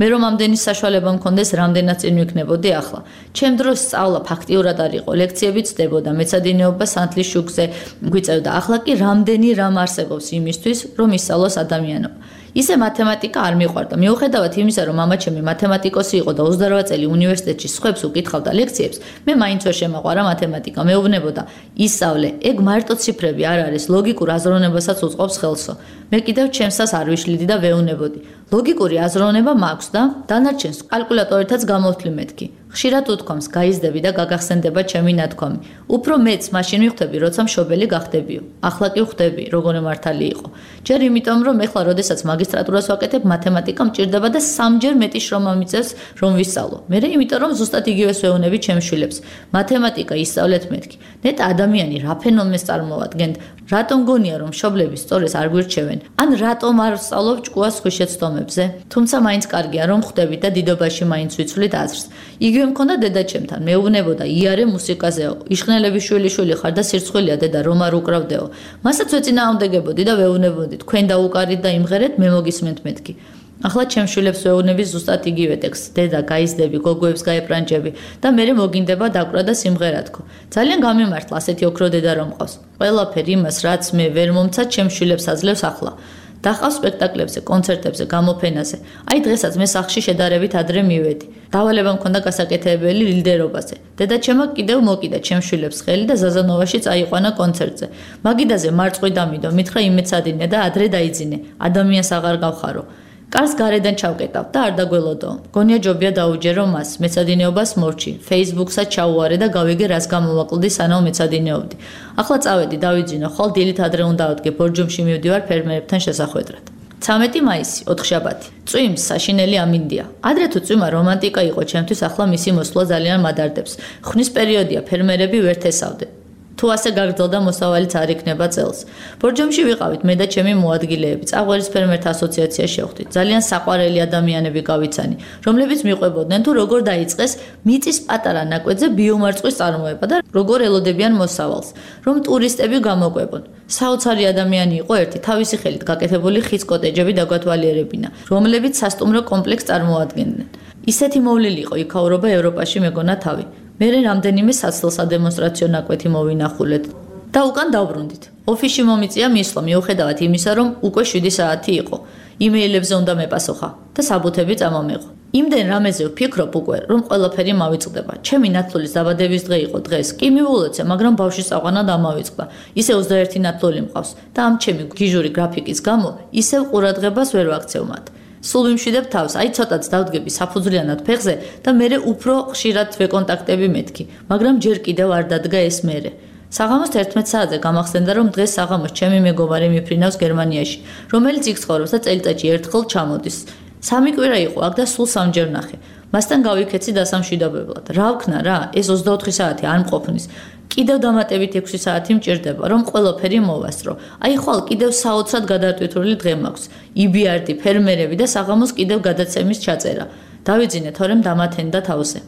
[SPEAKER 17] მე რომ ამდენი საშუალება მქონდეს, რამდენად წინ ვიქნებოდი ახლა. ჩემ დროს სწავლა ფაქტიურად არ იყო, ლექციები წდებოდა, მეცადინეობა სანთლის შუქზე გვიწევდა. ახლა კი რამდენი რამ არსებობს იმისთვის, რომ ისწავლოს ადამიანობა. ისე მათემატიკა არ მიყვარდა. მიუხედავად იმისა, რომ მამაჩემი მათემატიკოსი იყო და 28 წელი უნივერსიტეტში სხვებს უკითხავდა ლექციებს, მე მაინც ვერ შემაყვარა მათემატიკა. მეუბნებოდა, ისწავლე, ეგ მარტო ციფრები არ არის, ლოგიკურ აზროვნებასაც უწყობს ხელსო. მე კიდევ ჩემსას არ ვიშლიდი და ვეუნებოდი. ლოგიკური აზროვნება მაქვს და დანარჩენს კალკულატორითაც გამოვთვლი მეთქი. ხშირად უთქვამს, გაიზრდები და გაგახსენდება ჩემი ნათქვამი. უფრო მეც მაშინ ვხვდები, როცა მშობელი გახდებიო. ახლა კი ვხვდები, როგორი მართალი იყო. ჯერ იმიტომ, რომ ეხლა როდესაც მაგისტრატურას ვაკეთებ, მათემატიკა მჭირდება და 3-ჯერ მეტი შრომა მიწევს, რომ ვისწავლო. მერე იმიტომ, რომ ზუსტად იგივეს ვეუნები ჩემს შვილებს. მათემატიკა ისწავლეთ მეთქი. ნეტა ადამიანი რა ფენომენს წარმოადგენთ? რატომ გონია, რომ მშობლები სწორეს არ გვირჩევენ? ან რატომ არ ვსწავლობ ჭკუას ხვიშეცდომებზე? თუმცა მაინც კარგია, რომ ხვდებით და დიდობაში მაინც ვიცვლით აზრს. იგივე მქონდა დედაჩემთან, მეუბნებოდა, იარე მუსიკაზეო, იშხნელების შვილი ხარ და სირცხვილია დედა, რომ არ უკრავდეო. მასაც ვეწინააღმდეგებოდი და ვეუბნებოდი, თქვენ დაუკარით და იმღერეთ, მე მოგისმენთ მეთქი. ახლა ჩემს შვილებს ვეუბნები ზუსტად იგივე ტექსტს, დედა, გაიზრდები, გოგოებს გაეპრანჭები და მერე მოგინდება დაკვრა და სიმღერა თქო. ძალიან გამიმართლა ასეთი ოქრო დედა რომ მყავს. ყველაფერი იმას, რაც მე ვერ მომცა, ჩემს შვილებს აძლევს ახლა. დახავს სპექტაკლებზე, კონცერტებზე, გამოფენაზე. აი დღესაც მე სახლში შედარებით ადრე მივედი. დავალება მქონდა გასაკეთებელი ლიდერობაზე. დედაჩემმა კიდევ მოკიდა ჩემს შვილებს ხელი და ზაზანოვაში წაიყვანა კონცერტზე. მაგიდაზე მარწყვი დამიდო, მითხრა იმეცადინე და ადრე დაიძინე. ადამიანს აღარ გავხარო. კარს გარედან ჩავკეტავ და არ დაგველოდო. გონია ჯობია დაუჯერო მას, მეცადინეობას მორჩი, Facebook-საც ჩაუვარე და გავიგე რას გამოვაკლდი სანამ მეცადინეობდი. ახლა წავედი დავიძინო, ხვალ დილით ადრე უნდა ავდგე, ბორჯომში მივდივარ ფერმერებთან შესახვედრად. 13 მაისი, 4 შაბათი. წვიმს საშინელი ამინდია. ადრე თუ წვიმა რომანტიკა იყო ჩემთვის, ახლა მისი მოსვლა ძალიან მადარდებს. ხნის პერიოდია, ფერმერები ვერ თესავდნენ. თუ ასე გაგრძელდა მოსავალიც არ იქნება წელს. ბორჯომში ვიყავით მე და ჩემი მოადგილეები, წაღვერის ფერმერთა ასოციაცია შევხვდით. ძალიან საყვარელი ადამიანები გავიცანი, რომლებიც მიყვებოდნენ თუ როგორ დაიწყეს მიწის პატარა ნაკვეთზე ბიომარწყვის წარმოება და როგორ ელოდებიან მოსავალს, რომ ტურისტები გამოყვებონ. საოცარი ადამიანი იყო ერთი, თავისი ხელით გაკეთებული ხის კოტეჯები დაგვათვალიერებინა, რომლებიც სასტუმრო კომპლექსს წარმოადგენდნენ. ისეთი მოვლილი იყო იქაურობა ევროპაში მეგონა თავი. მერე რამდენიმე საცდელ სადემონსტრაციო ნაკვეთი მოვინახულეთ და უკან დავბრუნდით. ოფისში მომიწია მისვლა მიუხედავად იმისა, რომ უკვე 7 საათი იყო. იმეილებზე უნდა მეპასუხა და საბუთები წამომეღო. იმდენ რამეზე ვფიქრობ უკვე, რომ ყველაფერი მავიწყდება. ჩემი ნათლულის დაბადების დღე იყო დღეს. კი მივულოცე, მაგრამ ბავშვის წაყვანა დამავიწყდა. ისე 21 ნათლული მყავს და ამ ჩემი გიჟური გრაფიკის გამო ისევ ყურადღებას ვერ ვაქცევ მათ. სულ ვიმშვიდებ თავს, აი ცოტაც დავდგები საფუძვლიანად ფეხზე და მერე უფრო ხშირად ვეკონტაქტები მეთქი, მაგრამ ჯერ კიდევ არ დადგა ეს მერე. საღამოს 11 საათზე გამახსენდა, რომ დღეს საღამოს ჩემი მეგობარი მიფრინავს გერმანიაში, რომელიც იქ ცხოვრობს და წელიწადში ერთხელ ჩამოდის. 3 კვირა იყო აქ და სულ 3-ჯერ ნახე. მასთან გავიქეცი დასამშვიდობებლად. რა ვქნა რა, ეს 24 საათი არ მყოფნის. კიდევ დამატებით 6 საათი მჭირდება, რომ ყველაფერი მოვასწრო. აი ხვალ კიდევ საოცრად გადატვირთული დღე მაქვს. იბიარდი, ფერმერები და საღამოს კიდევ გადაცემის ჩაწერა. დავიძინე, თორემ დამათენდა თავზე.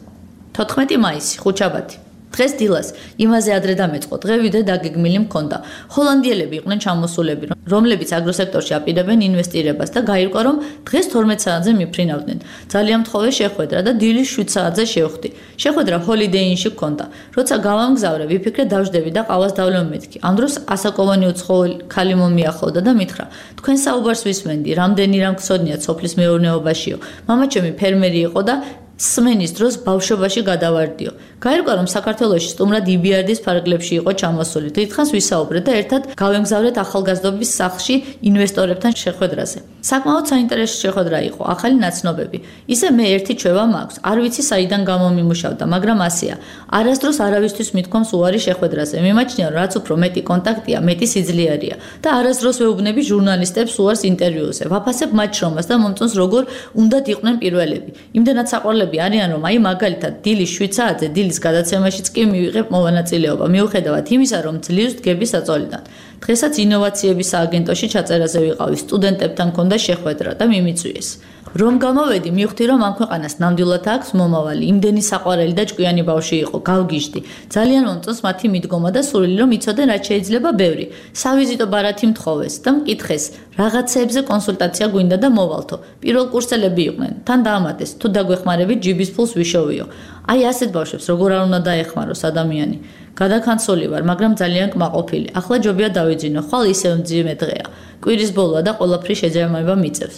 [SPEAKER 17] 14 მაისი, ხუთშაბათი. დღეს დილას იმაზე ადრე დამეწყო, დღე ვიდრე დაგეგმილი მქონდა. ჰოლანდიელები იყვნენ ჩამოსულები, რომლებიც აგროსექტორში აპირებენ ინვესტირებას და გაირკვა, რომ დღეს 12 საათზე მიფრინავდნენ. ძალიან მთხოვე შეხვედრა და დილის 7 საათზე შევხვდი. შეხვედრა ჰოლიდეინში მქონდა. როცა გავამგზავრე, ვიფიქრე დავждები და ყავას დავლევ მეთქი. ამ დროს ასაკოვანი უცხოელი ქალი მომიახლოვდა და მითხრა: "თქვენ საუბარს ვისმენდი, რამდენი რამ გსოდნიათ სოფლის მეურნეობაშიო. მამაჩემი ფერმერი იყო და სმენის დროს ბავშვობაში გადავარდიო. გაირკვა, რომ საქართველოში სტუმრად იბიარდის ფარგლებში იყო ჩამოსული. დიდხანს ვისაუბრეთ და ერთად გავემგზავრეთ ახალგაზრდობის სახლში ინვესტორებთან შეხვედრაზე. საკმაოდ საინტერესო შეხვედრა იყო, ახალი ნაცნობები. ისე მე ერთი ჩვევა მაქვს, არ ვიცი საიდან გამომიმუშავდა, მაგრამ ასეა. არასდროს არავისთვის მithkoms უარი შეხვედრაზე. მიმაჩნია, რომ რაც უფრო მეტი კონტაქტია, მეტი სიძლიერია და არასდროს ვეუბნები ჟურნალისტებს უარს ინტერვიუზე. ვაფასებ მათ შრომას და მომწონს როგორ უნდათ იყვნენ პირველები. იმდენად საყვარლები არიან, რომ აი მაგალითად დილის 7 საათზე დილის გადაცემაშიც კი მივიღებ მოვანაწილეობა, მიუხედავად იმისა, რომ ძლივს დგები საწოლიდან. დღესაც ინოვაციების სააგენტოში ჩაწერაზე ვიყავი, სტუდენტებთან მქონდა შეხვედრა და მიმიწვიეს. რომ გამოვედი, მივხვდი, რომ ამ ქვეყანას ნამდვილად აქვს მომავალი, იმდენი საყვარელი და ჭკვიანი ბავშვი იყო, გავგიჟდი. ძალიან მომწონს მათი მიდგომა და სურვილი, რომ იცოდნენ რაც შეიძლება ბევრი. სავიზიტო ბარათი მთხოვეს და მკითხეს, რაღაცეებზე კონსულტაცია გვინდა და მოვალთო. პირველ კურსელები იყვნენ, თან დაამატეს, თუ დაგვეხმარებით ჯიბის ფულს ვიშოვიო. აი ასეთ ბავშვებს როგორ არ უნდა დაეხმაროს ადამიანი. გადაქანცული ვარ, მაგრამ ძალიან კმაყოფილი. ახლა ჯობია დავიძინო, ხვალ ისევ მძიმე დღეა. კვირის ბოლოა და ყველაფრის შეჯამება მიწევს.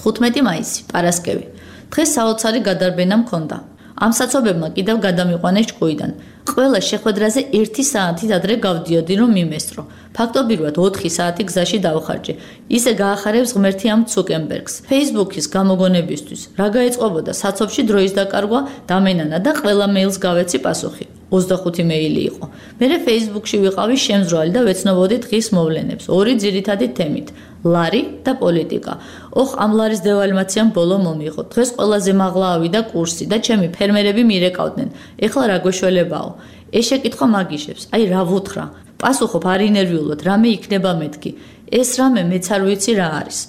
[SPEAKER 17] 15 მაისი, პარასკევი. დღეს საოცარი გადარბენა მქონდა. ამ საცობებმა კიდევ გადამიყვანეს ჭკუიდან. ყველა შეხვედრაზე 1 საათით ადრე გავდიოდი, რომ მიმესწრო. ფაქტობრივად 4 საათი გზაში დავხარჯე. ისე გაახარებს ღმერთი ამ ცუკენბერგს. Facebook-ის გამოგონებისთვის რა გაეწყობოდა საცობში დროის დაკარგვა, დამენანა და ყველა მეილს გავეცი პასუხი. 25 მეილი იყო. მერე Facebook-ში ვიყავი შემზრალი და ვეცნობოდი დღის მოვლენებს. 2 ძირითადი თემით: ლარი და პოლიტიკა. ოხ, ამ ლარის დევალვაციამ ბოლო მომიღო. დღეს ყველაზე მაღლა ავიდა კურსი და ჩემი ფერმერები მირეკავდნენ. ეხლა რა გვეშველებაო? ეს შეკითხვა მაგიშებს. აი რა ვუთხრა? პასუხობ არ ინერვიულოდ, რამე იქნება მეთქი. ეს რამე მეც არ ვიცი რა არის.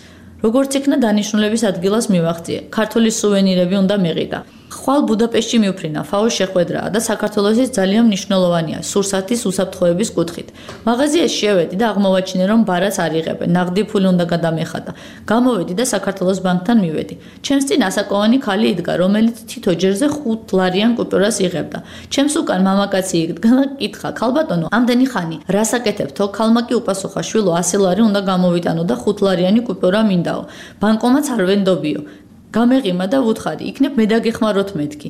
[SPEAKER 17] როგორც იქნა დანიშნულების ადგილას მივახციე. ქართული სუვენირები უნდა მეყიდა. ხვალ ბუდაპეშტში მივფრინა, ფაოს შეხვედრაა და საქართველოსის ძალიან მნიშვნელოვანია სურსათის უსაფრთხოების კუთხით. მაღაზიაში შევედი და აღმოვაჩინე, რომ ბარას არ იღებენ, ნაღდი ფული უნდა გადამეხადა. გამოვედი და საქართველოს ბანკთან მივედი. ჩემს წინ ასაკოვანი ქალი იდგა, რომელიც თითო ჯერზე 5 ლარიან კუპიურას იღებდა. ჩემს უკან მამაკაცი იდგა და კითხა: "ქალბატონო, ამდენი ხანი რას აკეთებთო?" ქალმა კი უპასუხა: "შვილო, 100 ლარი უნდა გამოვიტანო და 5 ლარიანი კუპიურა მინდაო. ბანკომატს არ ვენდობიო." გამეღიმა და ვუთხარი, იქნებ მე დაგეხმაროთ მეთქი.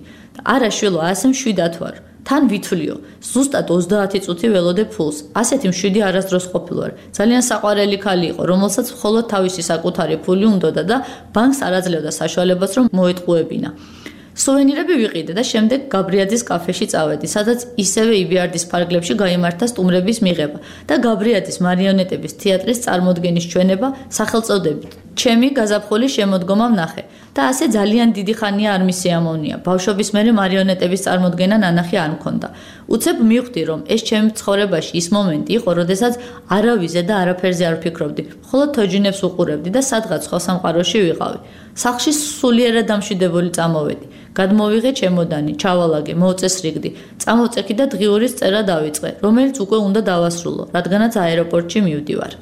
[SPEAKER 17] არა შვილო, ასე მშვიდად ვარ. თან ვითვლიო, ზუსტად 30 წუთი ველოდე ფულს. ასეთი მშვიდი არასდროს ყოფილვარ. ძალიან საყვარელი ქალი იყო, რომელსაც მხოლოდ თავისი საკუთარი ფული უნდოდა და ბანკს არ აძლევდა საშუალებას, რომ მოეტყუებინა. სუვენირები ვიყიდე და შემდეგ გაბრიაძის კაფეში წავედი, სადაც ისევე იბიარდის ფარგლებში გაიმართა სტუმრების მიღება და გაბრიაძის მარიონეტების თეატრის წარმოდგენის ჩვენება სახელწოდებით ჩემი გაზაფხულის შემოდგომა ვნახე და ასე ძალიან დიდი ხანია არ მისიამოვნია. ბავშვობის მერე მარიონეტების წარმოდგენა ნანახი არ მქონდა. უცებ მივხვდი, რომ ეს ჩემი ცხოვრებაში ის მომენტი იყო, როდესაც არავიზე და არაფერზე არ ვფიქრობდი, მხოლოდ თოჯინებს უყურებდი და სადღაც სხვა სამყაროში ვიყავი. სახლში სულიერად დამშვიდებული წამოვედი. გადმოვიღე ჩემოდანი, ჩავალაგე, მოვწესრიგდი, წამოვწექი და დღიურის წერა დავიწყე, რომელიც უკვე უნდა დავასრულო, რადგანაც აეროპორტში მივდივარ.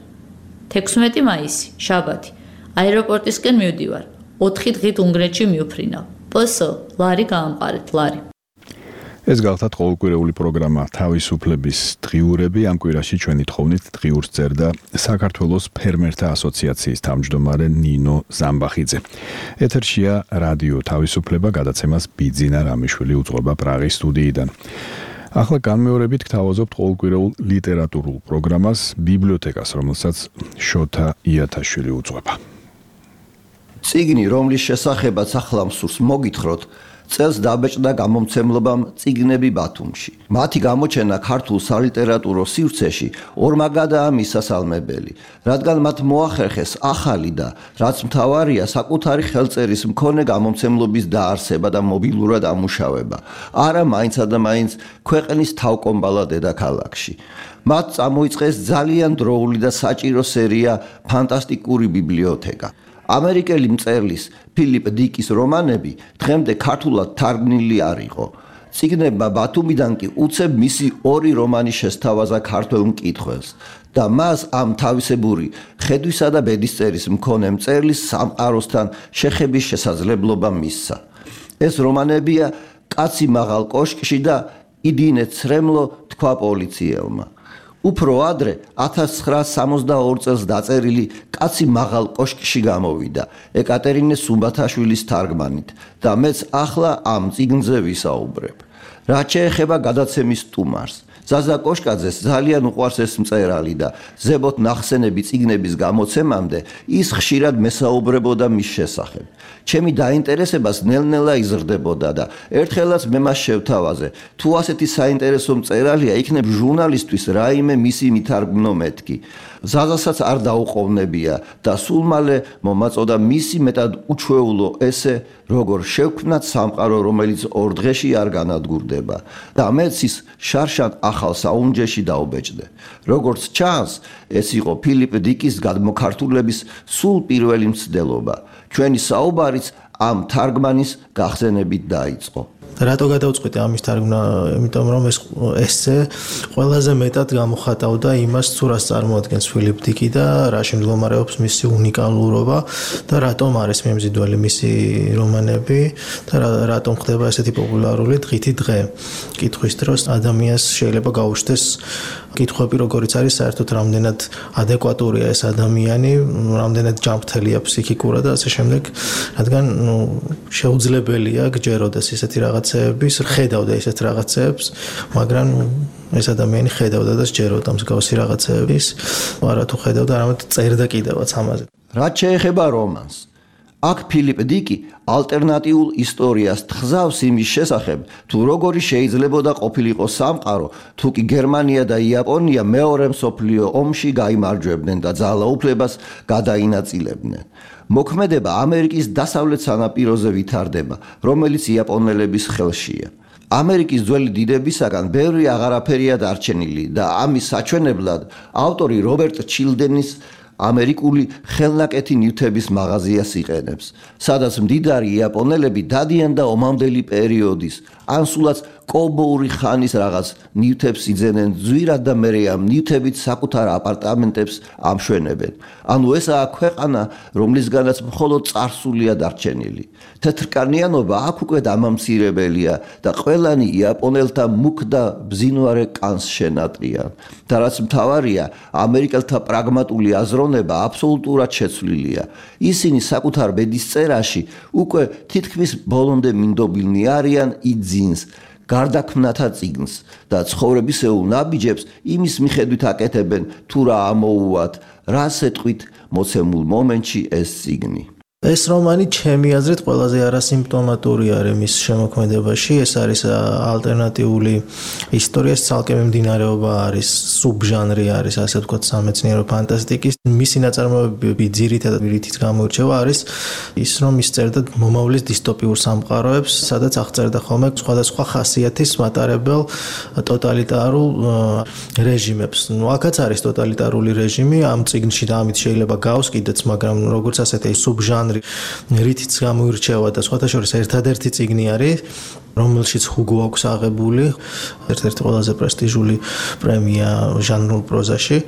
[SPEAKER 17] 16 მაისი, შაბათი. აეროპორტისკენ მივდივარ. 4 დღით უნგრეთში მივფრინავ. პოსო, ლარი გაამყარეთ, ლარი.
[SPEAKER 2] ეს გახლავთ ყოველკვირეული პროგრამა თავისუფლების დღიურები. ამ კვირაში ჩვენი თხოვნით დღიურს წერდა საქართველოს ფერმერთა ასოციაციის თავმჯდომარე ნინო ზამბახიძე. ეთერშია რადიო თავისუფლება, გადაცემას ბიძინა რამიშვილი უძღვება პრაღის სტუდიიდან. ახლა განმეორებით გთავაზობთ ყოველკვირეულ ლიტერატურულ პროგრამას ბიბლიოთეკას, რომელსაც შოთა იათაშვილი უძღვება.
[SPEAKER 18] წიგნი, რომლის შესახებაც ახლა მსურს მოგითხროთ, წელს დაბეჭდა გამომცემლობამ წიგნები ბათუმში. მათი გამოჩენა ქართულ სალიტერატურო სივრცეში ორმაგადაა მისასალმებელი, რადგან მათ მოახერხეს ახალი და რაც მთავარია საკუთარი ხელწერის მქონე გამომცემლობის დაარსება და მობილურად ამუშავება, არა მაინცა და მაინც ქვეყნის თავკომბალა დედაქალაქში. მათ წამოიწყეს ძალიან დროული და საჭირო სერია ფანტასტიკური ბიბლიოთეკა. ამერიკელი მწერლის ფილიპ დიკის რომანები დღემდე ქართულად თარგმნილი არ იყო. წიგნებმა ბათუმიდან კი უცებ მისი 2 რომანი შესთავაზა ქართველ მკითხველს და მას ამ თავისებური ხედვისა და ბედისწერის მქონე მწერლის სამყაროსთან შეხების შესაძლებლობა მისცა. ეს რომანებია კაცი მაღალ კოშკში და იდინე ცრემლო თქვა პოლიციელმა. უფრო ადრე 1962 წელს დაწერილი კაცი მაღალ კოშკში გამოვიდა ეკატერინე სუმბათაშვილის თარგმანით და მეც ახლა ამ წიგნზე ვისაუბრებ. რაც შეეხება გადაცემის სტუმარს, ზაზა კოშკაძეს ძალიან უყვარს ეს მწერალი და ზებოთ ნახსენები წიგნების გამოცემამდე ის ხშირად მესაუბრებოდა მის შესახებ. ჩემი დაინტერესებას ნელ-ნელა იზრდებოდა და ერთხელაც მე მას შევთავაზე, თუ ასეთი საინტერესო მწერალია, იქნებ ჟურნალისტვის რაიმე მისი მითარგმნო მეთქი. ზაზასაც არ დაუყოვნებია და სულ მალე მომაწოდა მისი მეტად უჩვეულო ესე, როგორ შევქმნათ სამყარო, რომელიც 2 დღეში არ განადგურდება და მეც ის შარშან ახალ საუნჯეში დაუბეჭდე. როგორც ჩანს, ეს იყო ფილიპ დიკის გადმოქართულების სულ პირველი მცდელობა. ჩვენი საუბარიც ამ თარგმანის გახსენებით დაიწყო.
[SPEAKER 19] რატო გადავწყვიტე ამის თარგმნა? იმიტომ რომ ეს ესე ყველაზე მეტად გამოხატავდა იმას, თუ რას წარმოადგენს ფილიპ დიკი და რაში მდგომარეობს მისი უნიკალურობა და რატომ არის მიმზიდველი მისი რომანები და რატომ ხდება ესეთი პოპულარული დღითი დღე. კითხვის დროს ადამიანს შეიძლება გაუჩნდეს კითხვები, როგორიც არის საერთოდ რამდენად ადეკვატურია ეს ადამიანი, რამდენად ჯანმრთელია ფსიქიკურად და ასე შემდეგ, რადგან შეუძლებელია გჯეროდეს ისეთი რაღაცეების, ხედავდა ისეთ რაღაცეებს, მაგრამ ეს ადამიანი ხედავდა და სჯეროდა მსგავსი რაღაცეების, არა თუ ხედავდა, არამედ წერდა კიდევაც ამაზე.
[SPEAKER 18] რაც შეეხება რომანს, აქ ფილიპ დიკი ალტერნატიულ ისტორიას თხზავს იმის შესახებ, თუ როგორი შეიძლებოდა ყოფილიყო სამყარო, თუ კი გერმანია და იაპონია მეორე მსოფლიო ომში გაიმარჯვებდნენ და ძალაუფლებას გადაინაწილებდნენ. მოქმედება ამერიკის დასავლეთ სანაპიროზე ვითარდება, რომელიც იაპონელების ხელშია. ამერიკის ძველი დიდებისაგან ბევრი აღარაფერია დარჩენილი და ამის საჩვენებლად ავტორი რობერტ ჩილდენის ამერიკული ხელნაკეთი ნივთების მაღაზიას იყენებს, სადაც მდიდარი იაპონელები დადიან და ომამდელი პერიოდის, ან სულაც კოლბოური ხანის რაღაც ნივთებს იძენენ ძვირად და მერე ამ ნივთებით საკუთარ აპარტამენტებს ამშვენებენ. ანუ ესაა ქვეყანა, რომლისგანაც მხოლოდ წარსულია დარჩენილი. თეთრკანიანობა აქ უკვე დამამცირებელია და ყველანი იაპონელთა მუქ და ბზინვარე კანს შენატრიან. და რაც მთავარია, ამერიკელთა პრაგმატული აზროვნება აბსოლუტურად შეცვლილია. ისინი საკუთარ ბედისწერაში უკვე თითქმის ბოლომდე მინდობილნი არიან იძინს, გარდაქმნათა წიგნს და ცხოვრებისეულ ნაბიჯებს იმის მიხედვით აკეთებენ, თუ რა ამოუვათ, რა სიტყვით მოცემულ მომენტში ეს წიგნი.
[SPEAKER 19] ეს რომანი ჩემი აზრით ყველაზე არასიმპტომატური არის მის შემოქმედებაში. ეს არის ალტერნატიული ისტორიის ცალკე მიმდინარეობა არის, სუბჟანრი არის, ასე ვთქვათ, სამეცნიერო ფანტასტიკის. მისი ნაწარმოებები ძირითადად რითიც გამოირჩევა არის ის, რომ ის წერდა მომავლის დისტოპიურ სამყაროებს, სადაც აღწერდა ხოლმე სხვადასხვა ხასიათის მატარებელ ტოტალიტარულ რეჟიმებს. აქაც არის ტოტალიტარული რეჟიმი, ამ წიგნში და ამით შეიძლება გავს კიდეც, მაგრამ როგორც ასეთი სუბჟანრი რითიც გამოირჩევა და სხვათა შორის ერთადერთი წიგნი არის, რომელშიც ჰუგო აქვს აღებული, ერთ-ერთი ყველაზე პრესტიჟული პრემია ჟანრულ პროზაში.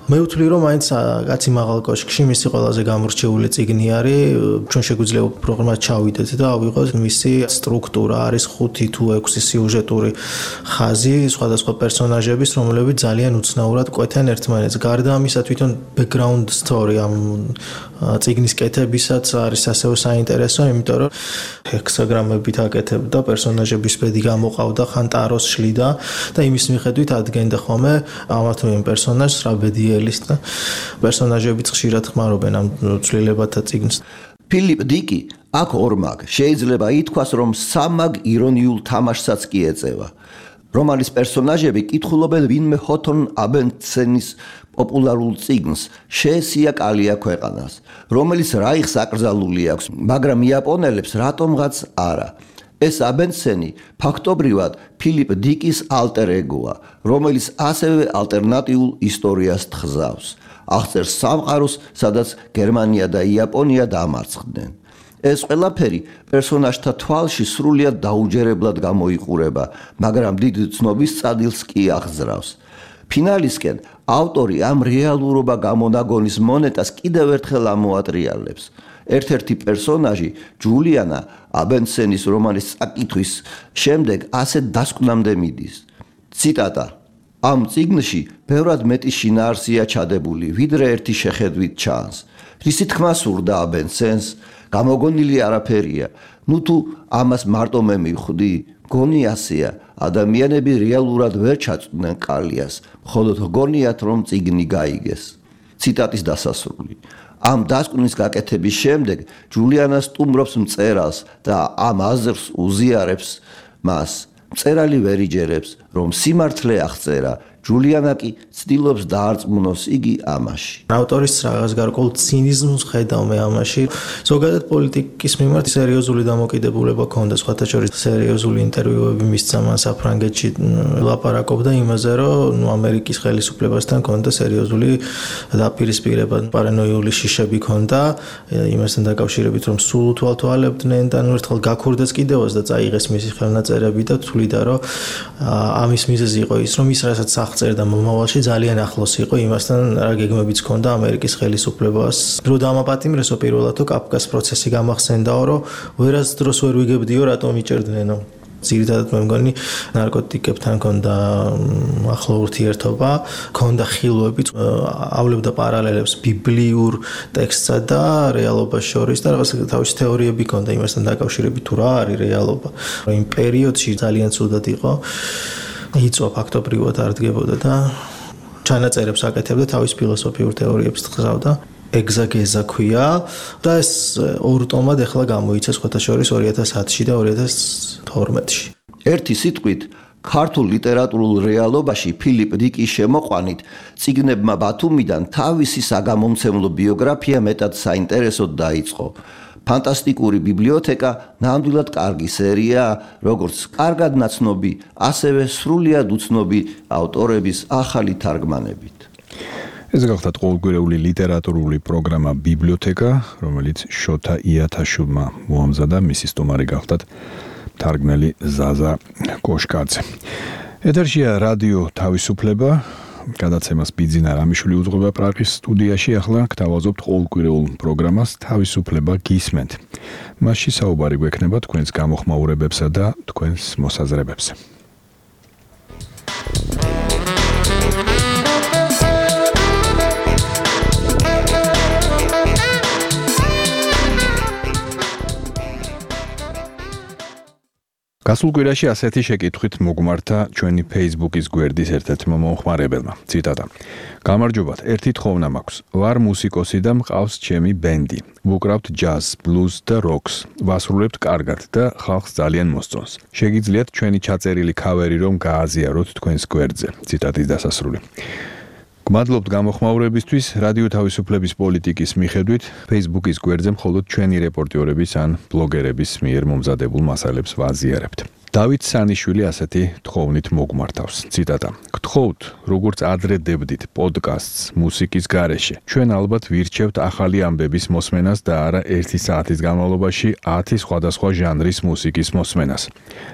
[SPEAKER 19] მე ვთვლი, რომ მაინც კაცი მაღალ კოშკში მისი ყველაზე გამორჩეული წიგნი არის. ჩვენ შეგვიძლია პროგრამას ჩავიდეთ და ავიღოთ მისი სტრუქტურა, არის 5 თუ 6 სიუჟეტური ხაზი სხვადასხვა პერსონაჟების, რომლებიც ძალიან უცნაურად კვეთენ ერთმანეთს. გარდა ამისა, თვითონ background story ამ წიგნის კეთებისაც არის ასევე საინტერესო, იმიტომ რომ ჰექსაგრამებით აკეთებდა პერსონაჟების ბედი გამოყავდა, ხან ტაროს შლიდა და იმის მიხედვით ადგენდა ხოლმე ამა თუ იმ პერსონაჟს რა ბედი ელის და პერსონაჟებიც ხშირად ხმარობენ ამ ცვლილებათა წიგნს.
[SPEAKER 18] ფილიპ დიკი აქ ორმაგ შეიძლება ითქვას, რომ სამაგ ირონიულ თამაშსაც კი ეწევა. რომანის პერსონაჟები კითხულობენ ვინმე ჰოთონ აბენცენის პოპულარულ წიგნს შეესია კალია ქვეყანას, რომელიც რაიხს აკრძალული აქვს, მაგრამ იაპონელებს რატომღაც არა. ეს აბენცენი ფაქტობრივად ფილიპ დიკის ალტერ ეგოა, რომელიც ასევე ალტერნატიულ ისტორიას თხზავს. აღწერს სამყაროს, სადაც გერმანია და იაპონია დამარცხდნენ. ეს ყველაფერი პერსონაჟთა თვალში სრულიად დაუჯერებლად გამოიყურება, მაგრამ დიდ ცნობის წადილს კი აღძრავს. ფინალისკენ ავტორი ამ რეალურობა გამონაგონის მონეტას კიდევ ერთხელ ამოატრიალებს. ერთ-ერთი პერსონაჟი, ჯულიანა, აბენცენის რომანის წაკითხვის შემდეგ ასეთ დასკვნამდე მიდის. ციტატა: ამ წიგნში ბევრად მეტი შინაარსია ჩადებული, ვიდრე ერთი შეხედვით ჩანს. რისი თქმა სურდა აბენცენს, გამოგონილი არაფერია. ნუ თუ ამას მარტო მე მივხვდი, გონი ასეა, ადამიანები რეალურად ვერ ჩაწვდნენ კალიას, მხოლოდ გონიათ, რომ წიგნი გაიგეს. ციტატის დასასრული. ამ დასკვნის გაკეთების შემდეგ ჯულიანა სტუმრობს მწერალს და ამ აზრს უზიარებს მას. მწერალი ვერ იჯერებს, რომ სიმართლე აღწერა, ჯულიანა კი ცდილობს დაარწმუნოს იგი ამაში.
[SPEAKER 19] ავტორის რაღაც გარკვეულ ცინიზმს ხედავ მე ამაში. ზოგადად პოლიტიკის მიმართ სერიოზული დამოკიდებულება ჰქონდა, სხვათა შორის სერიოზული ინტერვიუები მისცა მან საფრანგეთში, ლაპარაკობდა იმაზე, რომ ამერიკის ხელისუფლებასთან ჰქონდა სერიოზული დაპირისპირება, პარანოიული შიშები ჰქონდა იმასთან დაკავშირებით, რომ სულ უთვალთვალებდნენ და ერთხელ გაქურდეს კიდევაც და წაიღეს მისი ხელნაწერები და თვლიდა, რომ ამის მიზეზი იყო ის, რომ ის რასაც წერდა მომავალში ძალიან ახლოს იყო იმასთან, რა გეგმებიც ჰქონდა ამერიკის ხელისუფლებას. დრო დამაპატიმრესო პირველად თუ კაფკას პროცესი გამახსენდაო, რომ ვერას დროს ვერ ვიგებდიო, რატომ იჭერდნენო. ძირითადად მე მგონი ნარკოტიკებთან ჰქონდა ახლო ურთიერთობა, ჰქონდა ხილვები, ავლებდა პარალელებს ბიბლიურ ტექსტსა და რეალობას შორის და რაღაც თავისი თეორიები ჰქონდა იმასთან დაკავშირებით, თუ რა არის რეალობა. იმ პერიოდში ძალიან ცუდად იყო. იწვა ფაქტობრივად არ დგებოდა და ჩანაწერებს აკეთებდა, თავის ფილოსოფიურ თეორიებს თხზავდა. ეგზაგეზა ქვია და ეს ორ ტომად ახლა გამოიცა სხვათა შორის 2010-ში და 2012-ში.
[SPEAKER 18] ერთი სიტყვით, ქართულ ლიტერატურულ რეალობაში ფილიპ დიკის შემოყვანით წიგნებმა ბათუმიდან თავისი საგამომცემლო ბიოგრაფია მეტად საინტერესოდ დაიწყო. ფანტასტიკური ბიბლიოთეკა ნამდვილად კარგი სერიაა, როგორც კარგად ნაცნობი, ასევე სრულიად უცნობი ავტორების ახალი თარგმანებით.
[SPEAKER 2] ეს გახლავთ ყოველკვირეული ლიტერატურული პროგრამა ბიბლიოთეკა, რომელიც შოთა იათაშვილმა მოამზადა, მისი სტუმარი გახლავთ თარგმნელი ზაზა კოშკაძე. ეთერშია რადიო თავისუფლება, გადაცემას ბიძინა რამიშვილი უძღვება პრაღის სტუდიაში. ახლა გთავაზობთ ყოველკვირეულ პროგრამას თავისუფლება გისმენთ. მასში საუბარი გვექნება თქვენს გამოხმაურებებსა და თქვენს მოსაზრებებზე. გასულ კვირაში ასეთი შეკითხვით მოგმართა ჩვენი Facebook-ის გვერდის ერთ-ერთმა მომხმარებელმა. ციტატა: გამარჯობათ, ერთი თხოვნა მაქვს. ვარ მუსიკოსი და მყავს ჩემი ბენდი. ვუკრავთ ჯაზ, ბლუზ და როკს. ვასრულებთ კარგად და ხალხს ძალიან მოსწონს. შეგიძლიათ ჩვენი ჩაწერილი ქავერი რომ გააზიაროთ თქვენს გვერდზე. ციტატის დასასრული. გმადლობთ გამოხმაურებისთვის. რადიო თავისუფლების პოლიტიკის მიხედვით Facebook-ის გვერდზე მხოლოდ ჩვენი რეპორტიორების ან ბლოგერების მიერ მომზადებულ მასალებს ვაზიარებთ. დავით სანიშვილი ასეთი თხოვნით მოგმართავს. ციტატა: გთხოვთ, როგორც ადრე დებდით პოდკასტს მუსიკის გარეშე. ჩვენ ალბათ ვირჩევთ ახალი ამბების მოსმენას და არა 1 საათის განმავლობაში 10 სხვადასხვა ჟანრის მუსიკის მოსმენას.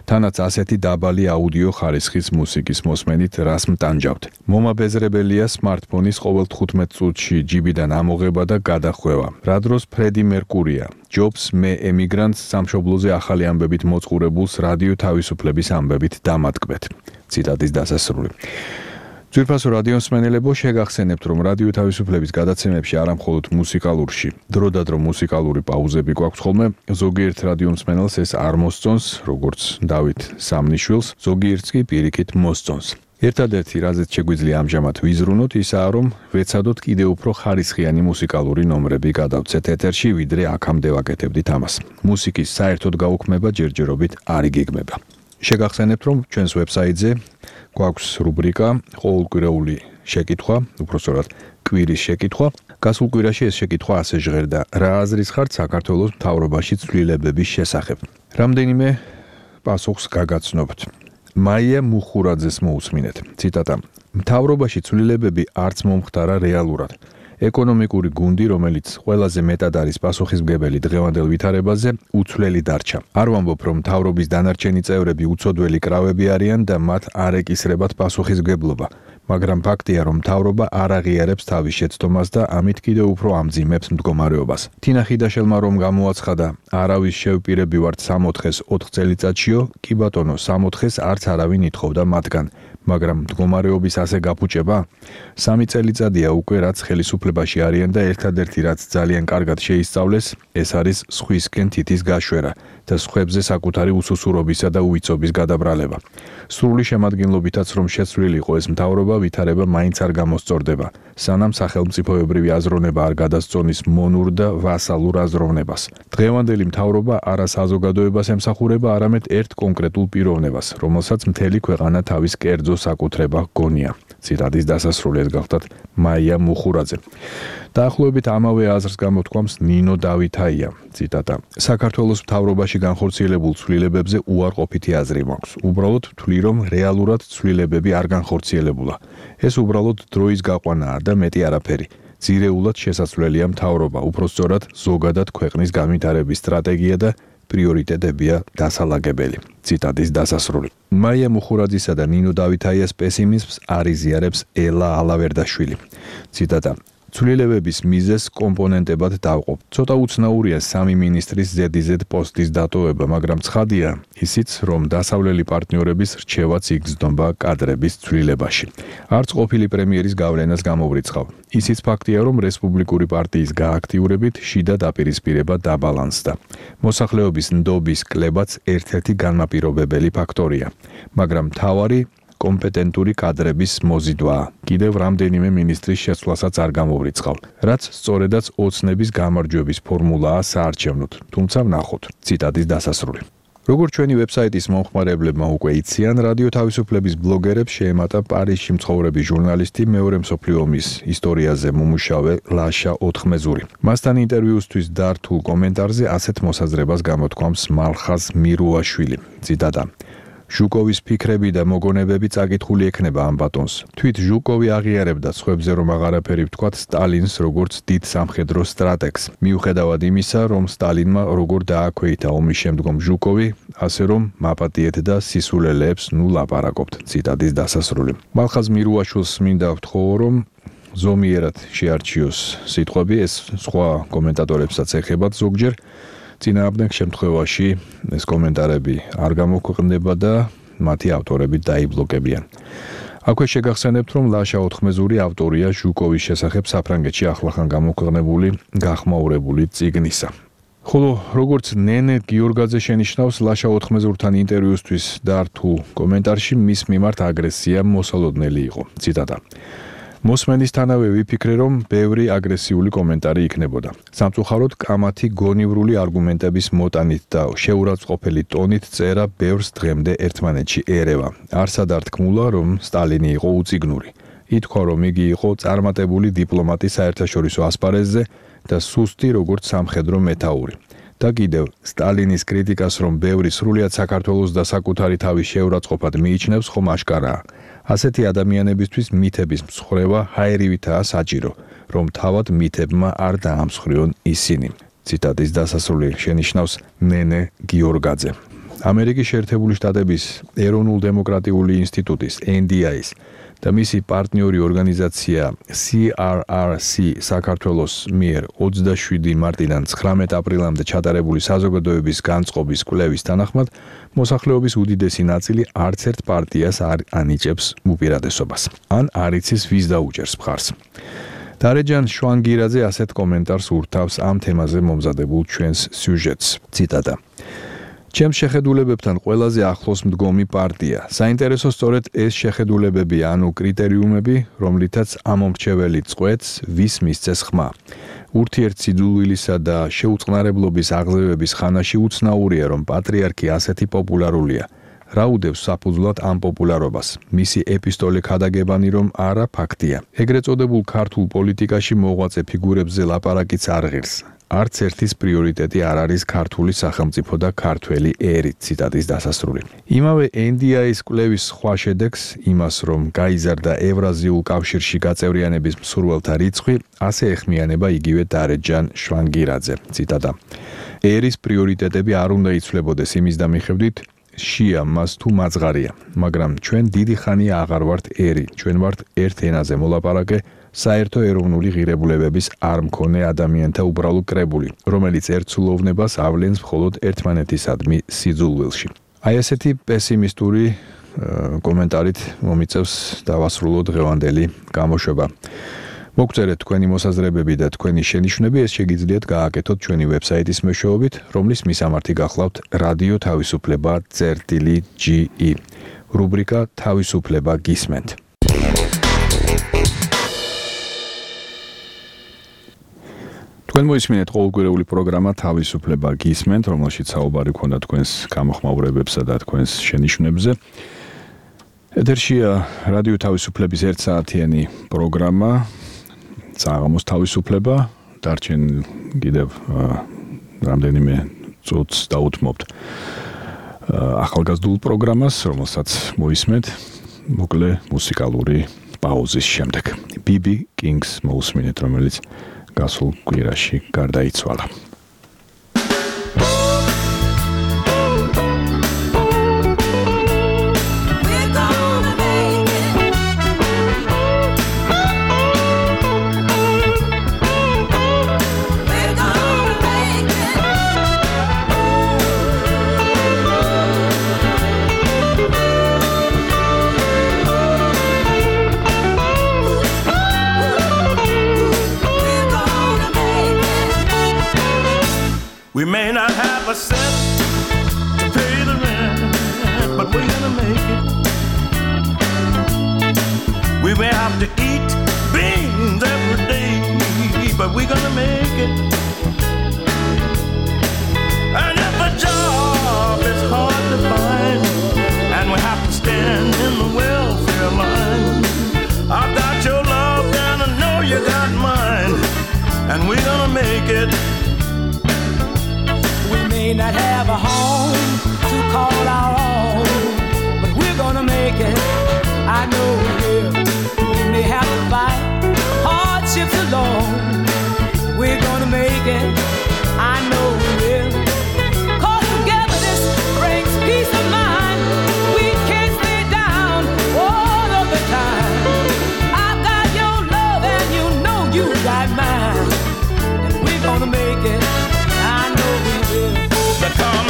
[SPEAKER 2] თანაც ასეთი დაბალი აუდიო ხარისხის მუსიკის მოსმენით რას მტანჯავთ. მომაბეზრებელია smartphone-ის ყოველ 15 წუთში ჯიბიდან ამოღება და გადახვევა. რა დროს ფრედი მერკურია ჯობს მე ემიგრანტს სამშობლოზე ახალი ამბებით მოწყურებულს რადიო თავისუფლების ამბებით დამატკბეთ. ციტატის დასასრული. ძვირფასო რადიო მსმენელებო, შეგახსენებთ, რომ რადიო თავისუფლების გადაცემებში არა მხოლოდ მუსიკალურში, დროდადრო მუსიკალური პაუზები გვაქვს ხოლმე, ზოგიერთ რადიო მსმენელს ეს არ მოსწონს, როგორც დავით სამნიშვილს, ზოგიერთს კი პირიქით მოსწონს. ერთადერთი, რაზეც შეგვიძლია ამჟამად ვიზრუნოთ, ისაა, რომ ვეცადოთ კიდევ უფრო ხარისხიანი მუსიკალური ნომრები გადავცეთ ეთერში, ვიდრე აქამდე ვაკეთებდით ამას. მუსიკის საერთოდ გაუქმება ჯერჯერობით არ იგეგმება. შეგახსენებთ, რომ ჩვენს ვებსაიტზე გვაქვს რუბრიკა ყოველკვირეული შეკითხვა, უпростоრად კვირის შეკითხვა. გასულ კვირაში ეს შეკითხვა ასე ჟღერდა: რა აზრის ხართ საქართველოს მთავრობაში ცვლილებების შესახებ? რამდენიმე პასუხს გაგაცნობთ. მაია მუხურაძეს მოусმინეთ. ციტატა: მთავრობაში ცვლილებები არც მომხდარა რეალურად. ეკონომიკური გუნდი, რომელიც ყველაზე მეტად არის პასუხისმგებელი დღევანდელ ვითარებაზე, უცვლელი დარჩა. არ ვამბობ, რომ მთავრობის დანარჩენი წევრები უცოდველი კრავები არიან და მათ არ ეკისრებათ პასუხისმგებლობა, მაგრამ ფაქტია, რომ მთავრობა არ აღიარებს თავის შეცდომას და ამით კიდევ უფრო ამძიმებს მდგომარეობას. თინა ხიდაშელმა რომ გამოაცხადა, არავის შევპირები ვართ 64-ს 4 წელიწადშიო, კი ბატონო, 64-ს არც არავინ ითხოვდა მათგან. მაგრამ მდგომარეობის ასე გაფუჭება? 3 წელიწადია უკვე რაც ხელისუფლებაში არიან და ერთადერთი რაც ძალიან კარგად შეისწავლეს, ეს არის სხვისკენ თითის გაშვერა და სხვებზე საკუთარი უსუსურობისა და უვიწობის გადაბრალება. სრული შემადგენლობითაც რომ შეცვლილი იყო ეს მთავრობა, ვითარება მაინც არ გამოსწორდება, სანამ სახელმწიფოებრივი აზროვნება არ გადასწონის მონურ და ვასალურ აზროვნებას. დღევანდელი მთავრობა არა საზოგადოებას ემსახურება, არამედ ერთ კონკრეტულ პიროვნებას, რომელსაც მთელი ქვეყანა თავის კერძო საკუთრება გონია. ციტატის დასასრული ეს გახლდათ მაია მუხურაძე. დაახლოებით ამავე აზრს გამოთქვამს ნინო დავითაია. ციტატა: საქართველოს მთავრობაში განხორციელებულ ცვლილებებზე უარყოფითი აზრი მაქვს. უბრალოდ ვთვლი, რომ რეალურად ცვლილებები არ განხორციელებულა. ეს უბრალოდ დროის გაყვანაა და მეტი არაფერი. ძირეულად შესაძლებელია მთავრობა, უпростоრად ზოგადად ქვეყნის განვითარების სტრატეგია და პრიორიტეტებია დასალაგებელი. ციტატის დასასრული. მაია მუხურაძისა და ნინო დავითაიას პესიმიზმს არ იზიარებს ელა ალავერდაშვილი. ციტატა: ცვლილებების მიზეზს კომპონენტებად დავყოფ. ცოტა უცნაურია 3 მინისტრის ზედიზედ პოსტის დატოვება, მაგრამ ცხადია ისიც, რომ დასავლელი პარტნიორების რჩევაც იგრძნობა კადრების ცვლილებაში. არც ყოფილი პრემიერის გავლენას გამოვრიცხავ. ისიც ფაქტია, რომ რესპუბლიკური პარტიის გააქტიურებით შიდა დაპირისპირება დაბალანსდა. მოსახლეობის ნდობის კლებაც ერთ-ერთი განმაპირობებელი ფაქტორია, მაგრამ მთავარი კომპეტენტური კადრების მოზიდვაა. კიდევ რამდენიმე მინისტრის შეცვლასაც არ გამოვრიცხავ, რაც სწორედაც ოცნების გამარჯვების ფორმულაა საარჩევნოდ, თუმცა ვნახოთ. ციტატის დასასრული. როგორც ჩვენი ვებსაიტის მომხმარებლებმა უკვე იციან, რადიო თავისუფლების ბლოგერებს შეემატა პარიზში მცხოვრები ჟურნალისტი, მეორე მსოფლიო ომის ისტორიაზე მომუშავე ლაშა ოთხმეზური. მასთან ინტერვიუსთვის დართულ კომენტარზე ასეთ მოსაზრებას გამოთქვამს მალხაზ მირუაშვილი. ციტატა: ჟუკოვის ფიქრები და მოგონებები წაკითხული ექნება ამ ბატონს. თვით ჟუკოვი აღიარებდა სხვებზე რომ აღარაფერი ვთქვათ სტალინს როგორც დიდ სამხედრო სტრატეგს. მიუხედავად იმისა, რომ სტალინმა როგორ დააქვეითა ომის შემდგომ ჟუკოვი, ასე რომ მაპატიეთ და სისულელეებს ნუ ლაპარაკობთ. ციტატის დასასრული. მალხაზ მირუაშვილს მინდა ვთხოვო, რომ ზომიერად შეარჩიოს სიტყვები, ეს სხვა კომენტატორებსაც ეხებათ ზოგჯერ. წინააღმდეგ შემთხვევაში ეს კომენტარები არ გამოქვეყნდება და მათი ავტორები დაიბლოკებიან. აქვე შეგახსენებთ, რომ ლაშა ოთხმეზური ავტორია ჟუკოვის შესახებ საფრანგეთში ახლახან გამოქვეყნებული გახმაურებული წიგნისა. ხოლო როგორც ნენე გიორგაძე შენიშნავს ლაშა 4-მეზურთან ინტერვიუსთვის დართულ კომენტარში მის მიმართ აგრესია მოსალოდნელი იყო. ციტატა: მოსმენისთანავე ვიფიქრე, რომ ბევრი აგრესიული კომენტარი იქნებოდა. სამწუხაროდ კამათი გონივრული არგუმენტების მოტანით და შეურაცხყოფელი ტონით წერა ბევრს დღემდე ერთმანეთში ერევა. არსად არ თქმულა, რომ სტალინი იყო უწიგნური. ითქვა, რომ იგი იყო წარმატებული დიპლომატი საერთაშორისო ასპარეზზე და სუსტი როგორც სამხედრო მეთაური. და კიდევ სტალინის კრიტიკას, რომ ბევრი სრულიად საქართველოს და საკუთარი თავის შეურაცხყოფად მიიჩნევს, ხომ აშკარაა. ასეთი ადამიანებისთვის მითების მსხრევა ჰაერივითაა საჭირო, რომ თავად მითებმა არ დაამსხვრიონ ისინი. ციტატის დასასრული შენიშნავს ნენე გიორგაძე. ამერიკის შეერთებული შტატების ეროვნულ-დემოკრატიული ინსტიტუტის NDI-ის და მისი პარტნიორი ორგანიზაცია CRRC საქართველოს მიერ 27 მარტიდან 19 აპრილამდე ჩატარებული საზოგადოების განწყობის კვლევის თანახმად მოსახლეობის უდიდესი ნაწილი არც ერთ პარტიას არ ანიჭებს უპირატესობას. ან არ იცის ვის დაუჭერს მხარს. დარეჯან შვანგირაძე ასეთ კომენტარს ურთავს ამ თემაზე მომზადებულ ჩვენს სიუჟეტს. ციტატა: ჩემს შეხედულებებთან ყველაზე ახლოს მდგომი პარტია. საინტერესო სწორედ ეს შეხედულებები, ანუ კრიტერიუმები, რომლითაც ამომრჩეველი წყვეტს, ვის მისცეს ხმა. ურთიერთსიძულვილისა და შეუწყნარებლობის აღზევების ხანაში უცნაურია, რომ პატრიარქი ასეთი პოპულარულია. რა უდევს საფუძვლად ამ პოპულარობას? მისი ეპისტოლე ქადაგებანი, რომ არა ფაქტია. ეგრეთ წოდებულ ქართულ პოლიტიკაში მოღვაწე ფიგურებზე ლაპარაკიც არ ღირს. არც ერთის პრიორიტეტი არ არის ქართული სახელმწიფო და ქართველი ერი. ციტატის დასასრული. იმავე NDI-ის კვლევის სხვა შედეგს, იმას, რომ გაიზარდა ევრაზიულ კავშირში გაწევრიანების მსურველთა რიცხვი, ასე ეხმიანება იგივე დარეჯან შვანგირაძე. ციტატა: ერის პრიორიტეტები არ უნდა იცვლებოდეს იმის და მიხედვით, შია მას თუ მაძღარია, მაგრამ ჩვენ დიდი ხანია აღარ ვართ ერი, ჩვენ ვართ ერთ ენაზე მოლაპარაკე, საერთო ეროვნული ღირებულებების არ მქონე ადამიანთა უბრალო კრებული, რომელიც ერთსულოვნებას ავლენს მხოლოდ ერთმანეთისადმი სიძულვილში. აი ესეთი პესიმისტური კომენტარით მომიწევს დავასრულო დღევანდელი გამოშვება. მოგწერეთ თქვენი მოსაზრებები და თქვენი შენიშვნები, ეს შეგიძლიათ გააკეთოთ ჩვენი ვებსაიტის მეშვეობით, რომლის მისამართი გახლავთ რადიო თავისუფლება.ge. რუბრიკა თავისუფლება გისმენთ. თქვენ მოისმინეთ ყოველკვირეული პროგრამა თავისუფლება გისმენთ, რომელშიც საუბარი ქონდა თქვენს გამოხმაურებებსა და თქვენს შენიშვნებზე. ეთერშია რადიო თავისუფლების 1 საათიანი პროგრამა საღამოს თავისუფლება. დარჩენ კიდევ რამდენიმე წუთს დაუთმობთ ახალგაზრდულ პროგრამას, რომელსაც მოისმენთ მოკლე მუსიკალური პაუზის შემდეგ. BB Kings მოусმინეთ, რომელიც გასულ კვირაში გარდაიცვალა.
[SPEAKER 20] We may not have a cent to pay the rent, but we're gonna make it. We may have to eat beans every day, but we're gonna make it. And if a job is hard to find, and we have to stand in the welfare line, I've got your love and I know you got mine, and we're gonna make it. May not have a home to call our own, but we're gonna make it. I know we will. We may have to fight hardships alone. We're gonna make it. I know we will. 'Cause togetherness brings peace of mind. We can't stay down all of the time. I've got your love and you know you got mine, and we're gonna make it. I know we will. Because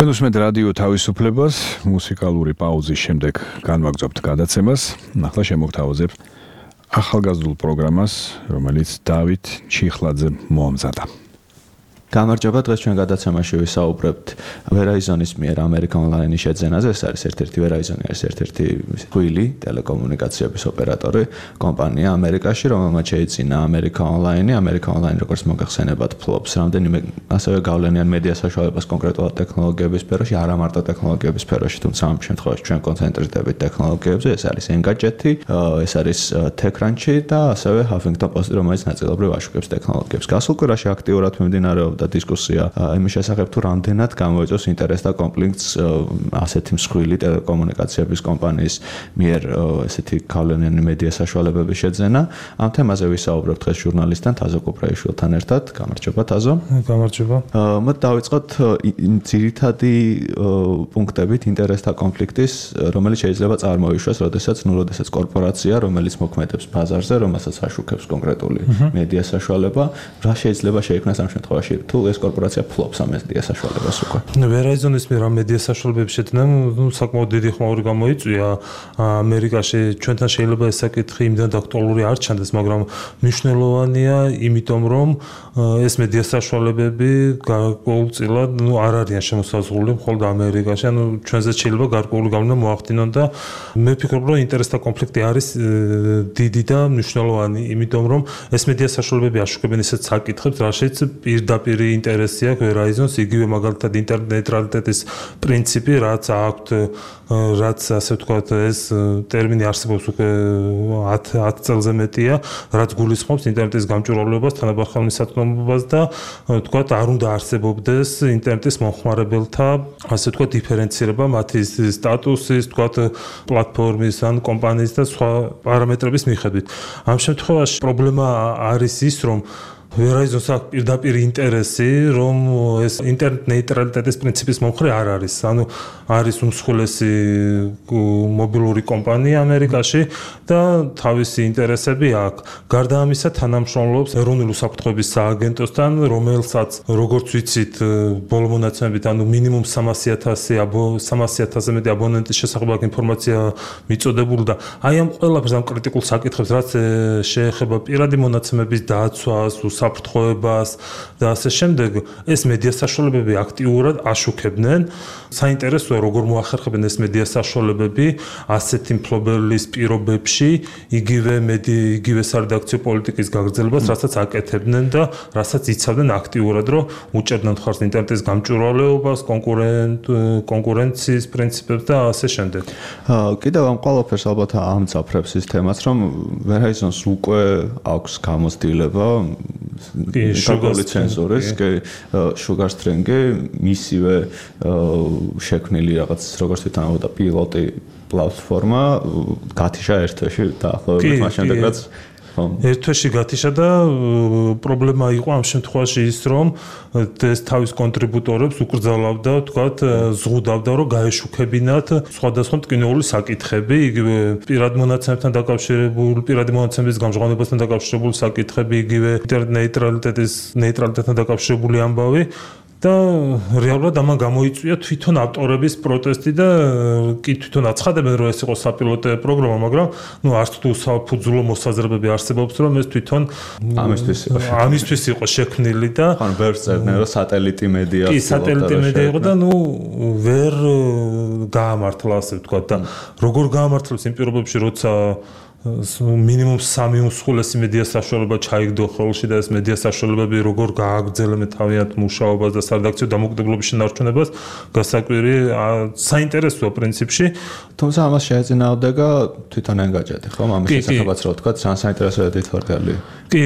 [SPEAKER 2] თქვენ უსმენთ რადიო თავისუფლებას, მუსიკალური პაუზის შემდეგ განვაგრძობთ გადაცემას. ახლა შემოგთავაზებ ახალგაზრდულ პროგრამას, რომელიც დავით ჩიხლაძე მოამზადა.
[SPEAKER 21] გამარჯობა, დღეს ჩვენ გადაცემაში ვისაუბრებთ Verizon-ის მიერ American Online-ის შეძენაზე. ეს არის Verizon არის ერთ-ერთი ხილი ტელეკომუნიკაციების ოპერატორი კომპანია ამერიკაში, რომელმაც შეიძინა American Online. American Online, როგორც მოგახსენებათ, ფლობს რამდენიმე ასევე გავლენიან მედია საშუალებას კონკრეტულად ტექნოლოგიების სფეროში, არა მარტო ტექნოლოგიების სფეროში, თუმცა ამ შემთხვევაში ჩვენ კონცენტრირდებით ტექნოლოგიებზე. ეს არის Engadget, ეს არის TechCrunch და ასევე Huffington Post, რომელიც ნაწილობრივ აშუქებს ტექნოლოგიებს. გასულ კვირაში აქტიურად მიმდინარეობდა დისკუსია იმის შესახებ, თუ რამდენად გამოიწვევს ინტერესს და კონფლიქტს ასეთი მსხვილი ტელეკომუნიკაციების კომპანიის მიერ ესეთი გავლენიანი მედია საშუალებების შეძენა. ამ თემაზე ვისაუბრებთ დღეს ჟურნალისტთან თაზო კუპრაიშვილთან ერთად. გამარჯობა თაზო.
[SPEAKER 22] გამარჯობა.
[SPEAKER 21] მოდი დავიწყოთ ძირითადი პუნქტებით ინტერესთა კონფლიქტის, რომელიც შეიძლება წარმოიშვას, როდესაც კორპორაცია, რომელიც მოქმედებს ბაზარზე, რომელსაც აშუქებს კონკრეტული მედია საშუალება, რა შეიძლება შეიქმნას ამ შემთხვევაში, თუ ეს კორპორაცია ფლობს ამ მედია საშუალებას უკვე.
[SPEAKER 22] Verizon-ის მიერ ამ მედია საშუალებების შეძენა საკმაოდ დიდი ხმაური გამოიწვია ამერიკაში. ჩვენთან შეიძლება ეს საკითხი იმდან აქტუალური არ ჩანდეს, მაგრამ მნიშვნელოვანია, იმიტომ რომ ეს მედია საშუალებები გარკვეულწილად არ არიან შემოსაზღვრული მხოლოდ ამერიკაში. ჩვენზე შეიძლება გარკვეული გავლენა მოახდინონ და მე ვფიქრობ, რომ ინტერესთა კონფლიქტი არის დიდი და მნიშვნელოვანი, იმიტომ რომ ეს მედია საშუალებები აშუქებენ ისეთ საკითხებს, რაშიც პირდაპირ ინტერესი აქვს Verizon-ს, იგივე მაგალითად ინტერნეტ ნეიტრალიტეტის პრინციპი, რაც აქვთ, რაც ასე ვთქვათ, ეს ტერმინი არსებობს უკვე 10 წელზე მეტია, რაც გულისხმობს ინტერნეტის გამჭვირვალობას, თანაბარ ხელმისაწვდომობას და ვთქვათ, არ უნდა არსებობდეს ინტერნეტის მომხმარებელთა, ასე ვთქვათ, დიფერენცირება მათი სტატუსის, ვთქვათ, პლატფორმის ან კომპანიის და სხვა პარამეტრების მიხედვით. ამ შემთხვევაში პრობლემა არის ის, რომ Verizon-ს აქვს პირდაპირ ინტერესი, რომ ეს ინტერნეტ ნეიტრალიტეტის პრინციპის მომხრე არ არის. ანუ არის უმსხვილესი მობილური კომპანია ამერიკაში და თავისი ინტერესები აქვს. გარდა ამისა, თანამშრომლობს ეროვნული უსაფრთხოების სააგენტოსთან, რომელსაც, როგორც ვიცით, ბოლო მონაცემებით, ანუ მინიმუმ 300,000-ზე მეტი აბონენტის შესახებ ინფორმაცია მიწოდებული და აი ამ ყველაფერს, ამ კრიტიკულ საკითხებს, რაც შეეხება პირადი მონაცემების დაცვას, საფრთხოებას და ასე შემდეგ, ეს მედია საშუალებები აქტიურად აშუქებდნენ. საინტერესოა, როგორ მოახერხებენ ეს მედია საშუალებები ასეთი მფლობელის პირობებში, იგივე სარედაქციო პოლიტიკის გაგრძელებას, რასაც აკეთებდნენ და რასაც იცავდნენ აქტიურად, რომ უჭერდნენ ხარს ინტერნეტის გამჭვირვალეობას, კონკურენციის პრინციპებს და ასე შემდეგ.
[SPEAKER 21] კიდევ ამ ყველაფერს ალბათ ამძაფრებს ის თემაც, რომ Verizon-ს უკვე აქვს გამოცდილება შუგარი ცენზორის, შუგარ სტრინგი, მისივე შექმნილი რაღაც როგორც თვითონავდა პილოტი პლატფორმა გათიშა ერთ-ერთი დაახლოებით მას შემდეგ რაც
[SPEAKER 22] ერთ-ერთი გათიშა და პრობლემა იყო ამ შემთხვევაში ის, რომ ეს თავის კონტრიბუტორებს უკრძალავდა, ვთქვათ, ზღუდავდა, რომ გაეშუქებინათ სხვადასხვა მტკივნეული საკითხები, იგივე პირად მონაცემებთან დაკავშირებული, პირადი მონაცემების გამჟღავნებასთან დაკავშირებული საკითხები, იგივე ინტერნეტ ნეიტრალიტეტთან დაკავშირებული ამბავი. და რეალურად ამან გამოიწვია თვითონ ავტორების პროტესტი და კი თვითონ აცხადებენ, რომ ეს იყო საპილოტო პროგრამა, მაგრამ არც თუ საფუძვლო მოსაზრებები არსებობს, რომ ეს თვითონ ამისთვის იყო შექმნილი და
[SPEAKER 21] ბევრს წერდნენ, რომ სატელიტი მედია
[SPEAKER 22] კი სატელიტი მედია იყო და ვერ გაამართლა, ასე ვთქვათ და როგორ გაამართლებს იმ პირობებში, როცა მინიმუმ 3 უმსხვილესი მედია საშუალება ჩაიგდო ხელში და ეს მედია საშუალებები როგორ გააგრძელებენ თავიანთ მუშაობას და სარედაქციო დამოკიდებულების შენარჩუნებას, გასაკვირი საინტერესოა პრინციპში.
[SPEAKER 21] თუმცა ამას შეეწინააღმდეგა თვითონ Engadget, ხო? ამის შესახებაც რა ვთქვათ, საინტერესო ედიტორი.
[SPEAKER 22] კი,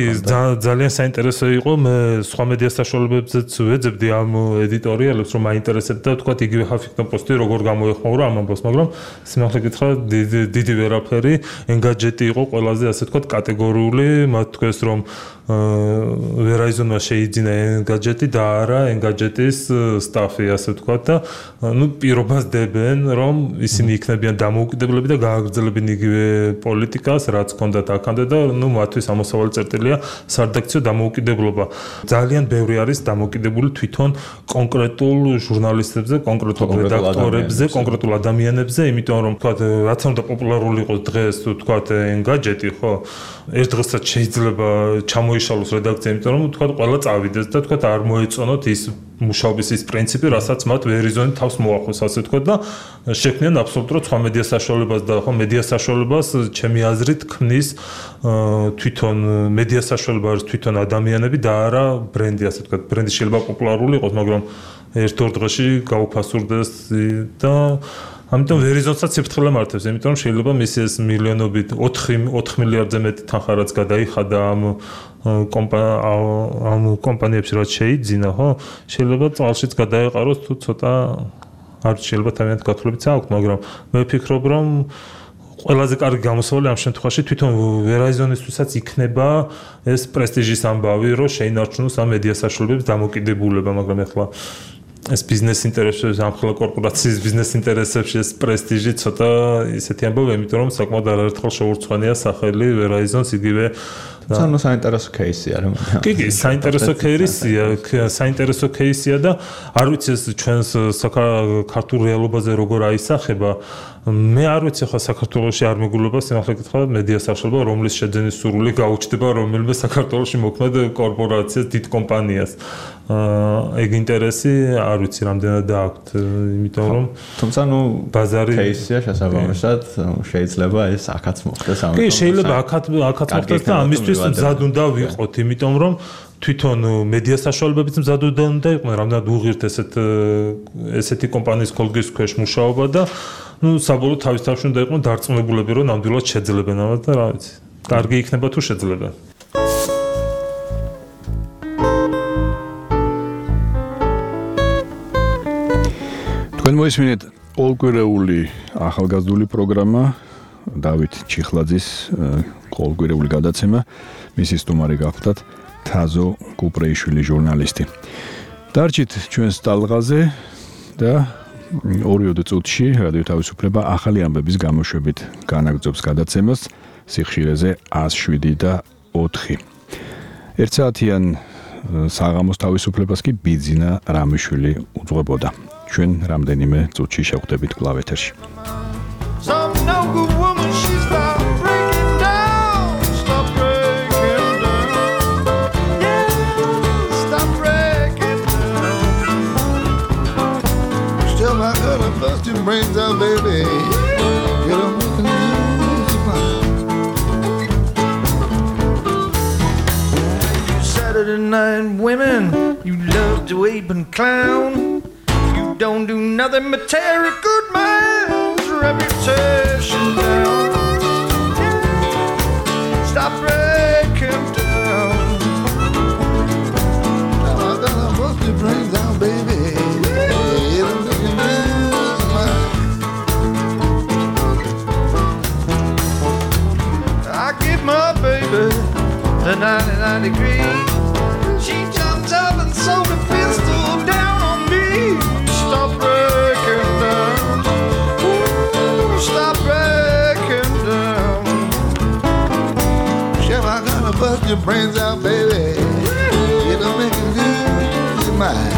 [SPEAKER 22] ძალიან საინტერესო იყო, მე სხვა მედია საშუალებებზეც ვეძებდი ამ ედიტორიალებს, რომ მაინტერესებდა, ვთქვათ, იგივე Huffington Post-ი როგორ გამოეხმაურა ამ ამბავს, მაგრამ სიმართლე გითხრათ, დიდი ვერაფერი Engadget gadget იყო ყველაზე ასე ვთქვათ კატეგორიული, მათ თქვეს რომ Verizon-მა შეიძინა Engadget-ი და არა Engadget-ის სტაფი, ასე ვთქვათ და პირობას დებენ, რომ ისინი იქნებიან დამოუკიდებლები და გააგრძელებენ იგივე პოლიტიკას, რაც ჰქონდათ აქამდე და მათთვის ამოსავალი წერტილია სარედაქციო დამოუკიდებლობა. ძალიან ბევრი არის დამოუკიდებული თვითონ კონკრეტულ ჟურნალისტებზე, კონკრეტულ რედაქტორებზე, კონკრეტულ ადამიანებზე, იმიტომ რომ ვთქვათ, რაც უნდა პოპულარული იყოს დღეს, ვთქვათ, Engadget-ი, ხო? ერთ დღესაც შეიძლება ჩამოიშალოს რედაქცია, იმიტომ რომ ვთქვათ, ყველა წავიდეს და ვთქვათ, არ მოეწონოთ ის მუშაობის ის პრინციპი, რასაც მათ Verizon-ი თავს მოახოს, ასე ვთქვათ და შექმნიან აბსოლუტურად სხვა მედია საშუალებას და ხო მედია საშუალებას ჩემი აზრით ქმნის თვითონ მედია საშუალება არის თვითონ ადამიანები და არა ბრენდი, ასე ვთქვათ, ბრენდი შეიძლება პოპულარული იყოს, მაგრამ ერთ-ორ დღეში გაუფასურდეს და ამიტომ Verizon-საც სიფრთხილე მართებს, იმიტომ რომ შეიძლება მისი ეს მილიონობით 4 მილიარდზე მეტი თანხა რაც გადაიხადა ამ კომპანიებში რაც შეიძინა, ხო? შეიძლება წალშიც გადაეყაროს თუ ცოტა არ შეიძლება თავიანთ გათვლებიც აქვს, მაგრამ მე ვფიქრობ, რომ ყველაზე კარგი გამოსავალი ამ შემთხვევაში თვითონ Verizon-ისთვისაც იქნება ეს პრესტიჟის ამბავი, რომ შეინარჩუნოს ამ მედია საშუალებების დამოკიდებულება, მაგრამ ეხლა ეს ბიზნეს ინტერესებში, ამხელა კორპორაციის ბიზნეს ინტერესებში ეს პრესტიჟი ცოტა ისეთი ამბავია, იმიტომ რომ საკმაოდ არაერთხელ შეურცხვენია სახელი Verizon-ს იგივე
[SPEAKER 21] სანო საინტერესო кейსია რა.
[SPEAKER 22] კი, საინტერესო кейსია და არ ვიცი ეს ჩვენს საქართველოს რეალობაზე როგორ აისახება. მე არ ვიცი ხა საქართველოში არ მეგულება სიმართლე გითხრა მედია საშუალება, რომლის შეძენის სურვილი გაუჩნდება რომელიმე საქართველოში მოქმედ კორპორაციას, დიდ კომპანიას. ეგ ინტერესი არ ვიცი რამდენად აქვს, იმიტომ რომ
[SPEAKER 21] თუმცა ბაზარი кейსია შესაბამისად შეიძლება ეს აქაც მოხდეს ამიტომ.
[SPEAKER 22] კი, შეიძლება აქაც მოხდეს და ამისთვის მზად უნდა ვიყოთ, იმიტომ რომ თვითონ მედია საშუალებებიც მზად უნდა იყვნენ, რამდენად უღირთ ესეთი კომპანიის კოლგის ქვეშ მუშაობა და საბოლოოდ თავის თავში უნდა იყვნენ დარწმუნებულები, რომ ნამდვილად შეძლებენ ამას და რა ვიცი. კარგი იქნება თუ შეძლებენ.
[SPEAKER 2] თქვენ მოისმინეთ ყოველკვირეული ახალგაზრდული პროგრამა დავით ჩიხლაძის ყოველკვირეული გადაცემა, მისი სტუმარი გახლდათ თაზო კუპრეიშვილი ჟურნალისტი. დარჩით ჩვენს ტალღაზე და 2 წუთში რადიო თავისუფლება ახალი ამბების გამოშვებით განაგრძობს გადაცემას სიხშირეზე 107 და 4. ერთ საათიან საღამოს თავისუფლებას კი ბიძინა რამიშვილი უძღვებოდა. ჩვენ რამდენიმე წუთში შევხვდებით კვლავ ეთერში.
[SPEAKER 1] Brains out, baby. You don't make me lose your mind. You Saturday night women, you love to ape and clown. You don't do nothing but tear a good man's reputation down. Stop breaking down. Now I gotta bust your brains out, baby. My baby, the 99 degrees. She jumped up and sold a pistol down on me. Stop breaking down. Ooh, stop breaking down. Chef, I gotta bust your brains out, baby. You don't make it lose your mind.